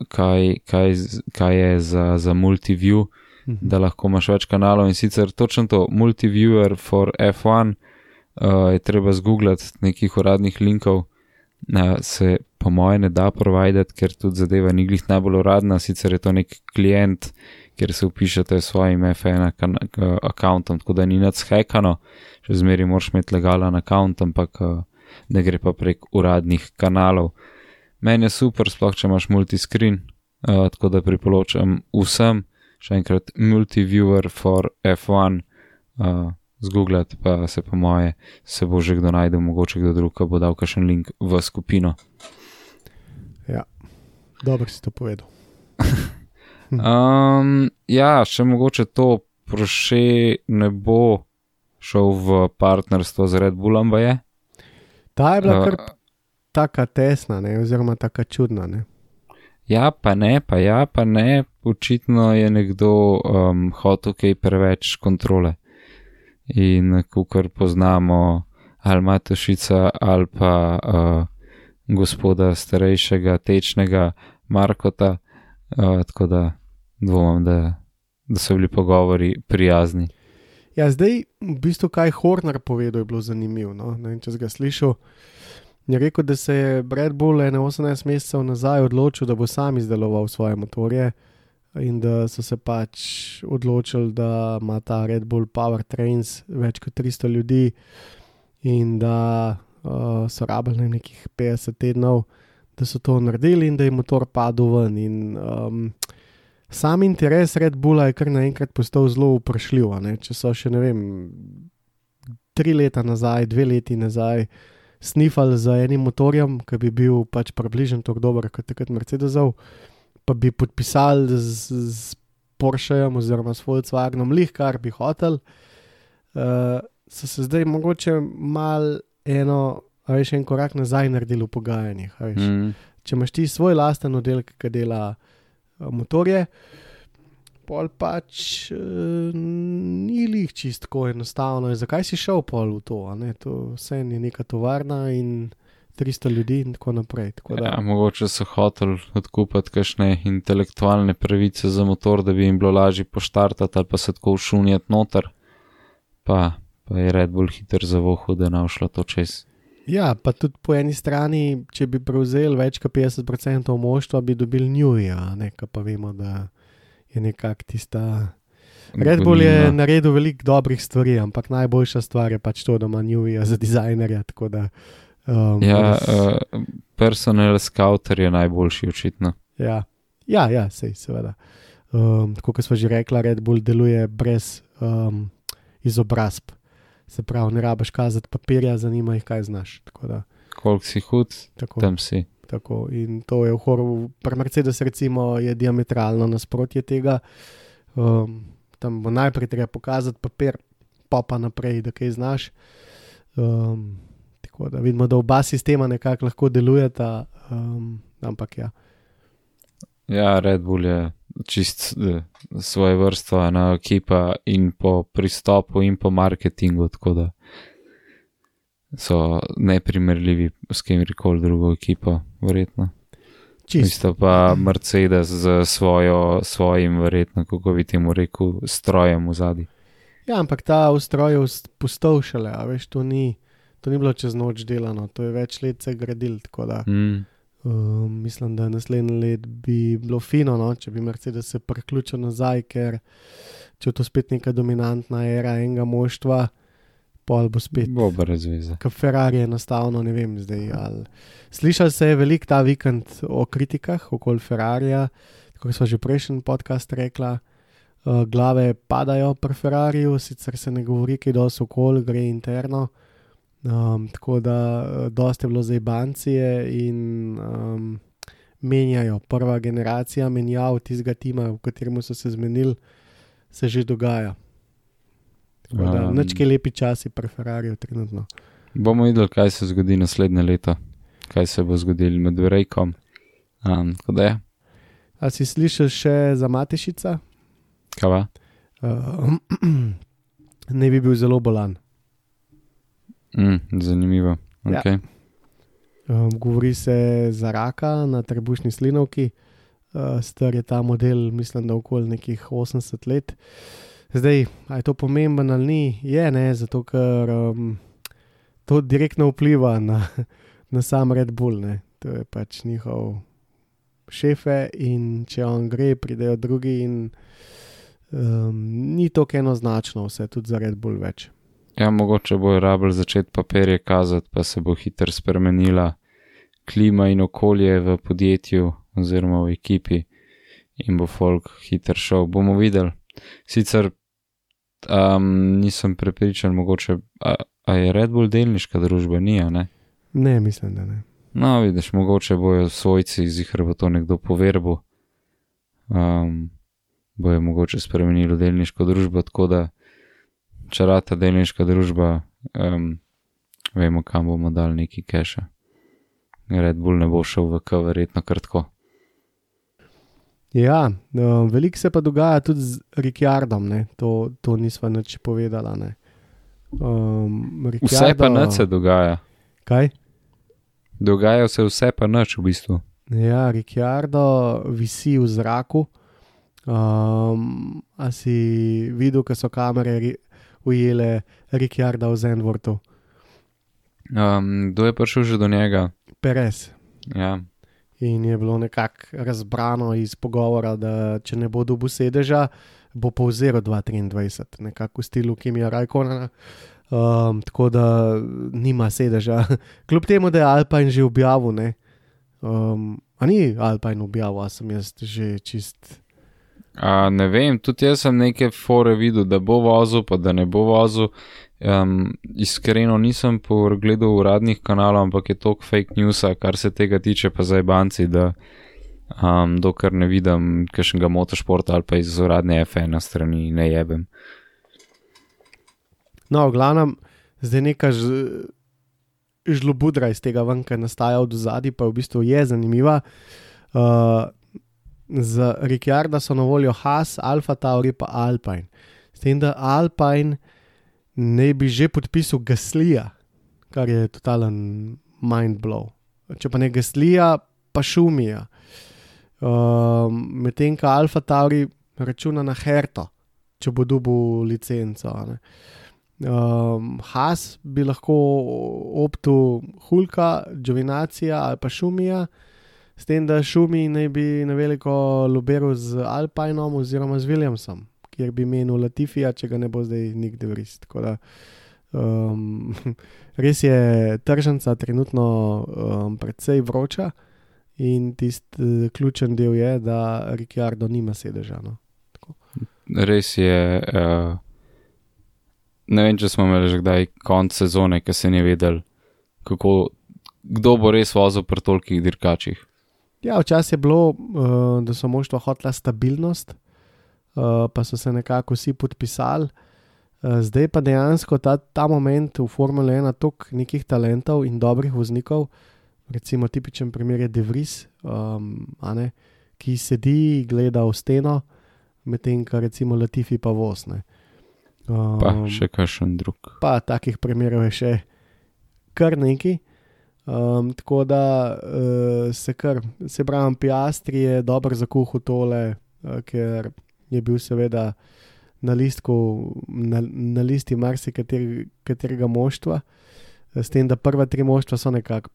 kaj je za multiview, da lahko imaš več kanalov, in sicer točno to, multiviewer for F1, je treba zgooglati nekih uradnih linkov, se po moje ne da providati, ker tudi zadeva ni glih najbolj uradna, sicer je to nek klient, kjer se upišete s svojim F1 accountom, tako da ni nad shekano, še zmeri moraš imeti legalen account, ampak ne gre pa prek uradnih kanalov. Meni je super, sploh če imaš multiscreen, tako da priporočam vsem, še enkrat multiviewer for F1, zgooglati, pa se po moje se bo že kdo najdel, mogoče kdo drug, bo dal kakšen link v skupino. Ja, dobro si to povedal. Ja, še mogoče to, Porsche ne bo šel v partnerstvo z Red Bullom, je? Ta je bila kar taka tesna, ne, oziroma taka čudna, ne. Ja, pa ne, očitno je nekdo hotel kaj preveč kontrole. In kakor poznamo ali Matošica ali pa gospoda starejšega, tečnega Markota, tako da dvomim, da so bili pogovori prijazni. Ja, zdaj v bistvu kaj Horner povedal je bilo zanimivo, no? Ne vem, če si ga slišal. Je rekel, da se je Red Bull 18 mesecev nazaj odločil, da bo sam izdeloval svoje motorje in da so se pač odločili, da ima ta Red Bull Powertrains več kot 300 ljudi in da so rabili nekih 50 tednov, da so to naredili in da je motor padel ven. In sam interes Red Bulla je kar naenkrat postal zelo vprašljiv. Če so še, ne vem, 3 leta nazaj, 2 leti nazaj snifali za enim motorjem, ki bi bil pač približno tako dober kot takrat Mercedesov, pa bi podpisali z Porschejem oziroma s Volkswagenom lih, kar bi hotel, so se zdaj mogoče mal en korak nazaj naredili v pogajanjih. Če imaš ti svoj lasten oddelek, ki dela motorje, pol pač ni lih čistko enostavno. Zakaj si šel pol v to? To vse je neka tovarna in 300 ljudi in tako naprej. Tako da... Ja, mogoče so hoteli odkupati kakšne intelektualne pravice za motor, da bi jim bilo lažje poštartati ali pa se tako všunjati noter. Pa je Red Bull hiter zavohal, da ne šlo to čez. Ja, pa tudi po eni strani, če bi prevzeli več kot 50% moštva, bi dobili Newey, pa vemo, da je nekako tista Red Bull je gonilna. naredil veliko dobrih stvari, ampak najboljša stvar je pač to, da ima Newija za dizajnerja. Tako da, Personal scouter je najboljši očitno. ja, sej, seveda. Tako kot smo že rekla, Red Bull deluje brez izobrazb. Se pravi, ne rabiš kazati papirja, zanima jih, kaj znaš. Tako da, Koliko si hud, tako. tam si. Tako, in to je v horru, pri Mercedes recimo je diametralno nasprotje tega. Tam bo najprej treba pokazati papir, pa naprej, da kaj znaš. Tako da vidimo, da oba sistema nekako lahko delujeta, ampak ja. Ja, Red Bull je čist svoje vrsto ena ekipa in po pristopu in po marketingu, tako da so neprimerljivi s kemkoli drugo ekipo, verjetno. Čist. Isto pa Mercedes z svojim, verjetno, kako bi temu rekel, strojem v zadnji. Ja, ampak ta ustroj je postal šele, a veš, to ni bilo čez noč delano, to je več let se gradil, tako da mislim, da naslednje let bi bilo fino, no, če bi Mercedes se priključil nazaj, ker če je to spet neka dominantna era enega moštva, pol bo spet. Bo brez veze. Kot Ferrari enostavno, ne vem zdaj. Slišal se je veliko ta vikend o kritikah okoli Ferrarija, tako smo že prejšnji podcast rekla, glave padajo pri Ferrariju, sicer se ne govori, kaj dosti okoli, gre interno, tako da dosti je bilo zajbancije in menjajo. Prva generacija menjav tistega tima, v katerem so se zmenili, se že dogaja. Nič kaj lepi časi pri Ferrariju trenutno. Bomo videli, kaj se zgodi naslednje leto, kaj se bo zgodilo med Brejkom. Tako da je. A si slišal še za Matešica? Kava? Ne bi bil zelo bolan. Zanimivo. Okay. Govori se za raka na trebušni slinovki. Star je ta model, mislim, da okoli nekih 80 let. Zdaj, a je to pomemben ali ni? Je, ne, zato ker to direktno vpliva na sam Red Bull, ne. To je pač njihov šefe in če on gre, pridejo drugi in ni to enoznačno vse, tudi za Red Bull več. Ja, mogoče bojo rabili začeti papirje kazati, pa se bo hitro spremenila klima in okolje v podjetju oziroma v ekipi in bo folk hitro šel. Bomo videli. Sicer nisem prepričan, mogoče, a je Red Bull delniška družba, ni, a ne? Ne, mislim, da ne. No, vidiš, mogoče bojo svojci zihar bo to nekdo poverbil, bojo mogoče spremenili delniško družbo, tako da če rata delniška družba, vemo, kam bomo dali neki keša. Red Bull ne bo šel v K, verjetno kratko. Ja, veliko se pa dogaja tudi z Ricciardom, ne, to nisva nič povedala, ne. Vse pa nič se dogaja. Kaj? Dogaja se vse pa nič v bistvu. Ja, Ricciardo visi v zraku. A si videl, ko so kamere ujele Ricciarda v Zandvoortu? Kdo je prišel že do njega? Perez. Ja. In je bilo nekako razbrano iz pogovora, da če ne bo dobil sedeža, bo povzel 2.23, nekako v stilu Kimija Raikkonena. Tako da nima sedeža. Kljub temu, da je Alpine že objavil, ne. A ni Alpine objavil, a sem jaz že čist... Ne vem, tudi jaz sem neke fore videl, da bo vozil, pa da ne bo vozil. Iskreno nisem pogledal uradnih kanalov, ampak je toliko fake newsa, kar se tega tiče, pa zajbanci, da dokler ne vidim kakšnega motošporta ali pa iz uradne F1 strani ne jebem. No, v glavnem, zdaj neka žlobudra iz tega ven, ki nastaja od ozadij, pa v bistvu je zanimiva. Za Ricciarda so na voljo Haas, Alfa Tauri pa Alpine. S tem, da Alpine ne bi že podpisal Gaslija, kar je totalen mindblow. Če pa ne Gaslija, pa Schumija. Medtem, ko Alfa Tauri računa na Herto, če bo dobil licenco. Haas bi lahko optu Hulka, Giovinazija ali pa Schumija, s tem, da Schumi naj bi na veliko lobiral z Alpinom oziroma z Williamsom, kjer bi menil Latifija, če ga ne bo zdaj Nick de Vries. Tako da res je tržnica trenutno precej vroča in tisti ključen del je, da Ricciardo nima sedeža. No? Res je, ne vem, če smo imeli že kdaj konc sezone, ki se ni vedel, kdo bo res vozil pri tolikih dirkačih. Ja, včasih je bilo, da so moštva hotela stabilnost, pa so se nekako vsi podpisali. Zdaj pa dejansko ta moment v Formule 1 toliko nekih talentov in dobrih voznikov, recimo tipičen primer je De Vries, ki sedi, gleda v steno, medtem ko recimo Latifi pa voz. Pa še kakšen drug. Pa takih primerov je še kar nekaj. Tako da se pravim, Piastri je dobro zakuhal tole, ker je bil seveda na listi katerega moštva, s tem, da prva 3 moštva so nekako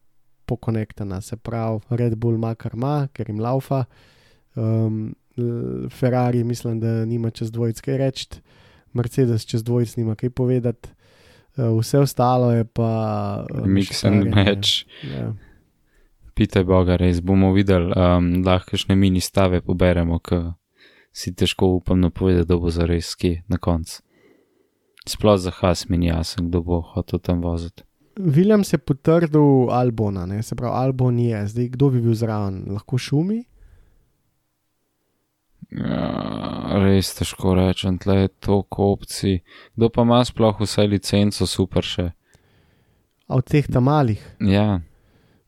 pokonektana, se pravi Red Bull ima kar ima, ker jim laufa, Ferrari mislim, da nima čez dvojic kaj reči, Mercedes čez dvojic nima kaj povedati, vse ostalo je pa mix and match. Ja. Pitaj Boga, res bomo videli, lahko kakšne mini stave poberemo, ki si težko upam napovedati, da bo zares kje na koncu. Sploh za Haas mi ni jasen, kdo bo hotel tam voziti. Williams je potrdil Albona, se pravi Albon je, zdaj kdo bi bil zraven, lahko Šumi? Ja, res težko rečem, tle je toliko opcij. Kdo pa ima sploh vse licenco, super še. A od teh tam malih? Ja.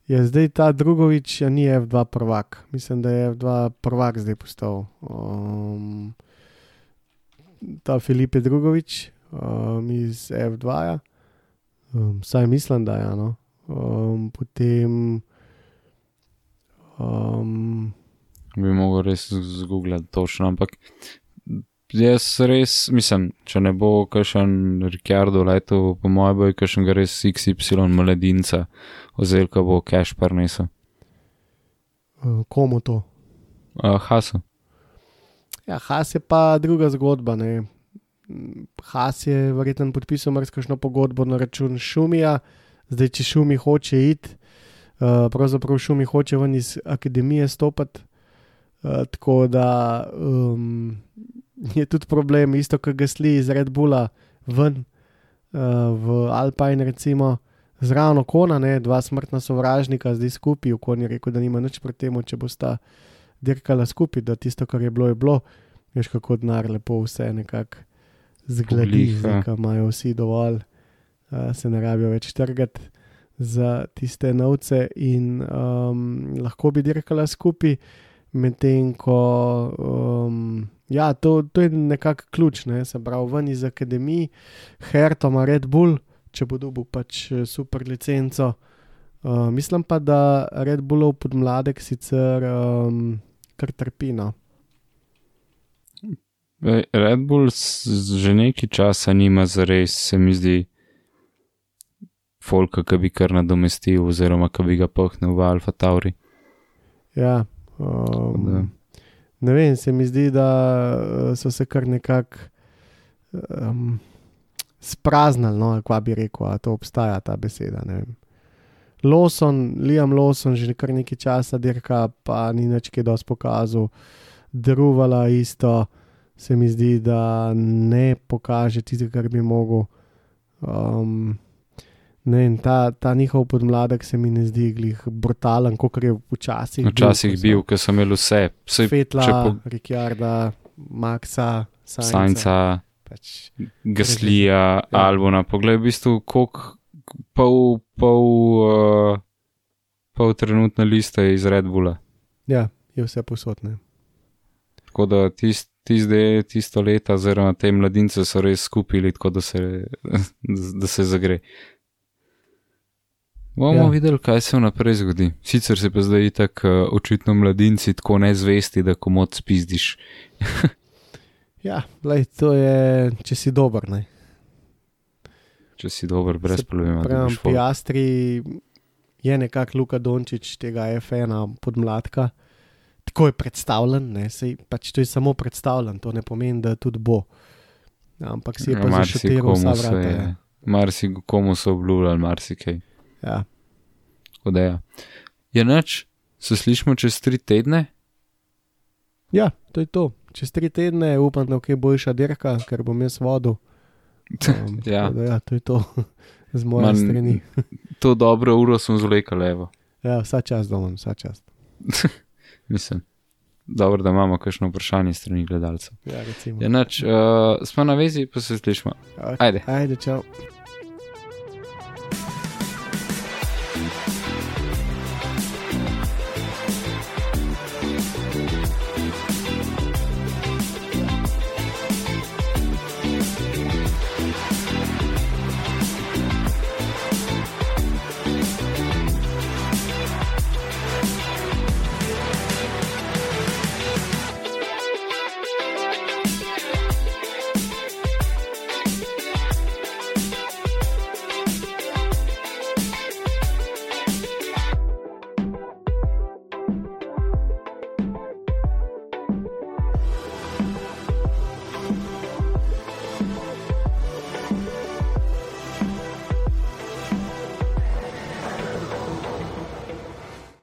Je zdaj ta Drugovič, ni F2 prvak. Mislim, da je F2 prvak zdaj postal. Ta Filipe Drugovič iz F2-ja. Saj mislim, da je, no. Potem bi mogel res zgooglati točno, ampak jaz res, mislim, če ne bo kakšen Ricciardo letel, po mojem bo kakšen ga res XY mladinca, ozirka bo cash prinesel. Komu to? Haasu. Ja, Haas je pa druga zgodba, ne. Haas je verjetno podpisal marsikšno pogodbo na račun Šumija, zdaj če Šumi hoče iti, pravzaprav Šumi hoče ven iz akademije stopati, tako da je tudi problem, isto kot Gasly iz Red Bulla ven v Alpine recimo, zraven Okona, ne, 2 smrtna sovražnika zdaj skupaj, Okon je rekel, da nima nič proti temu, če bosta dirkala skupaj, da tisto, kar je bilo, veš kako denar lepo vse nekako zgledi, zdaj, ko imajo vsi dovolj, se ne rabijo več trgati za tiste novce in lahko bi dirkala skupaj, medtem ko ja, to je nekako ključ, ne, se pravi ven iz akademij, Herto ima Red Bull, če bo dobil pač super licenco, mislim pa, da Red Bullov podmladek sicer kar trpi, no. Red Bull že nekaj časa nima zares, se mi zdi, folka, ki bi kar nadomestil oziroma ki bi ga pahnil v Alfa Tauri. Ja, ne vem, se mi zdi, da so se kar nekako spraznali, no, kva bi rekel, a to obstaja ta beseda, ne vem. Liam Lawson že kar nekaj časa dirka, pa ni nič kaj dosti pokazal, Druvala isto, se mi zdi, da ne pokaže tisto, kar bi mogel. Ne vem, ta njihov podmladek se mi ne zdi glih brutalen, kakor je včasih bil, ker so imeli vse. Fetla, Ricciarda, Maxa, Sainza, pač, Gaslija, Albona. Poglej, v bistvu, koliko pol trenutne liste iz Red Bulla. Ja, je vse posodne. Tako da tisto leta, oziroma te mladince so res skupili, tako da se zagre. Bomo videli, kaj se vnaprej zgodi. Sicer se pa zdaj tako očitno mladinci tako nezvesti, da komod spizdiš. Ja, glej, to je, če si dober, ne. Če si dober, brez problema. Pravim, Piastri je nekako Luka Dončić tega F1 podmladka, tako je predstavljen, ne, sej, pač to je samo predstavljen, to ne pomeni, da tudi bo. Ampak si je pa zašutiral vsa vrata. Ja. Komu so obljubljali, marsikaj. Ja. Odeja. Je nič, se slišimo čez 3 tedne? Ja, to je to. Čez 3 tedne upam, da je kaj boljša dirka, ker bom jaz vodil. Ja. Ja, to je to z moje strani. To dobro uro sem zvlekal levo. Ja, vsa čast domov, vsa čast. Mislim, dobro, da imamo kakšno vprašanje strani gledalcev. Ja, recimo. Je nič, smo na vezi, pa se slišimo. Okay. Ajde, čau.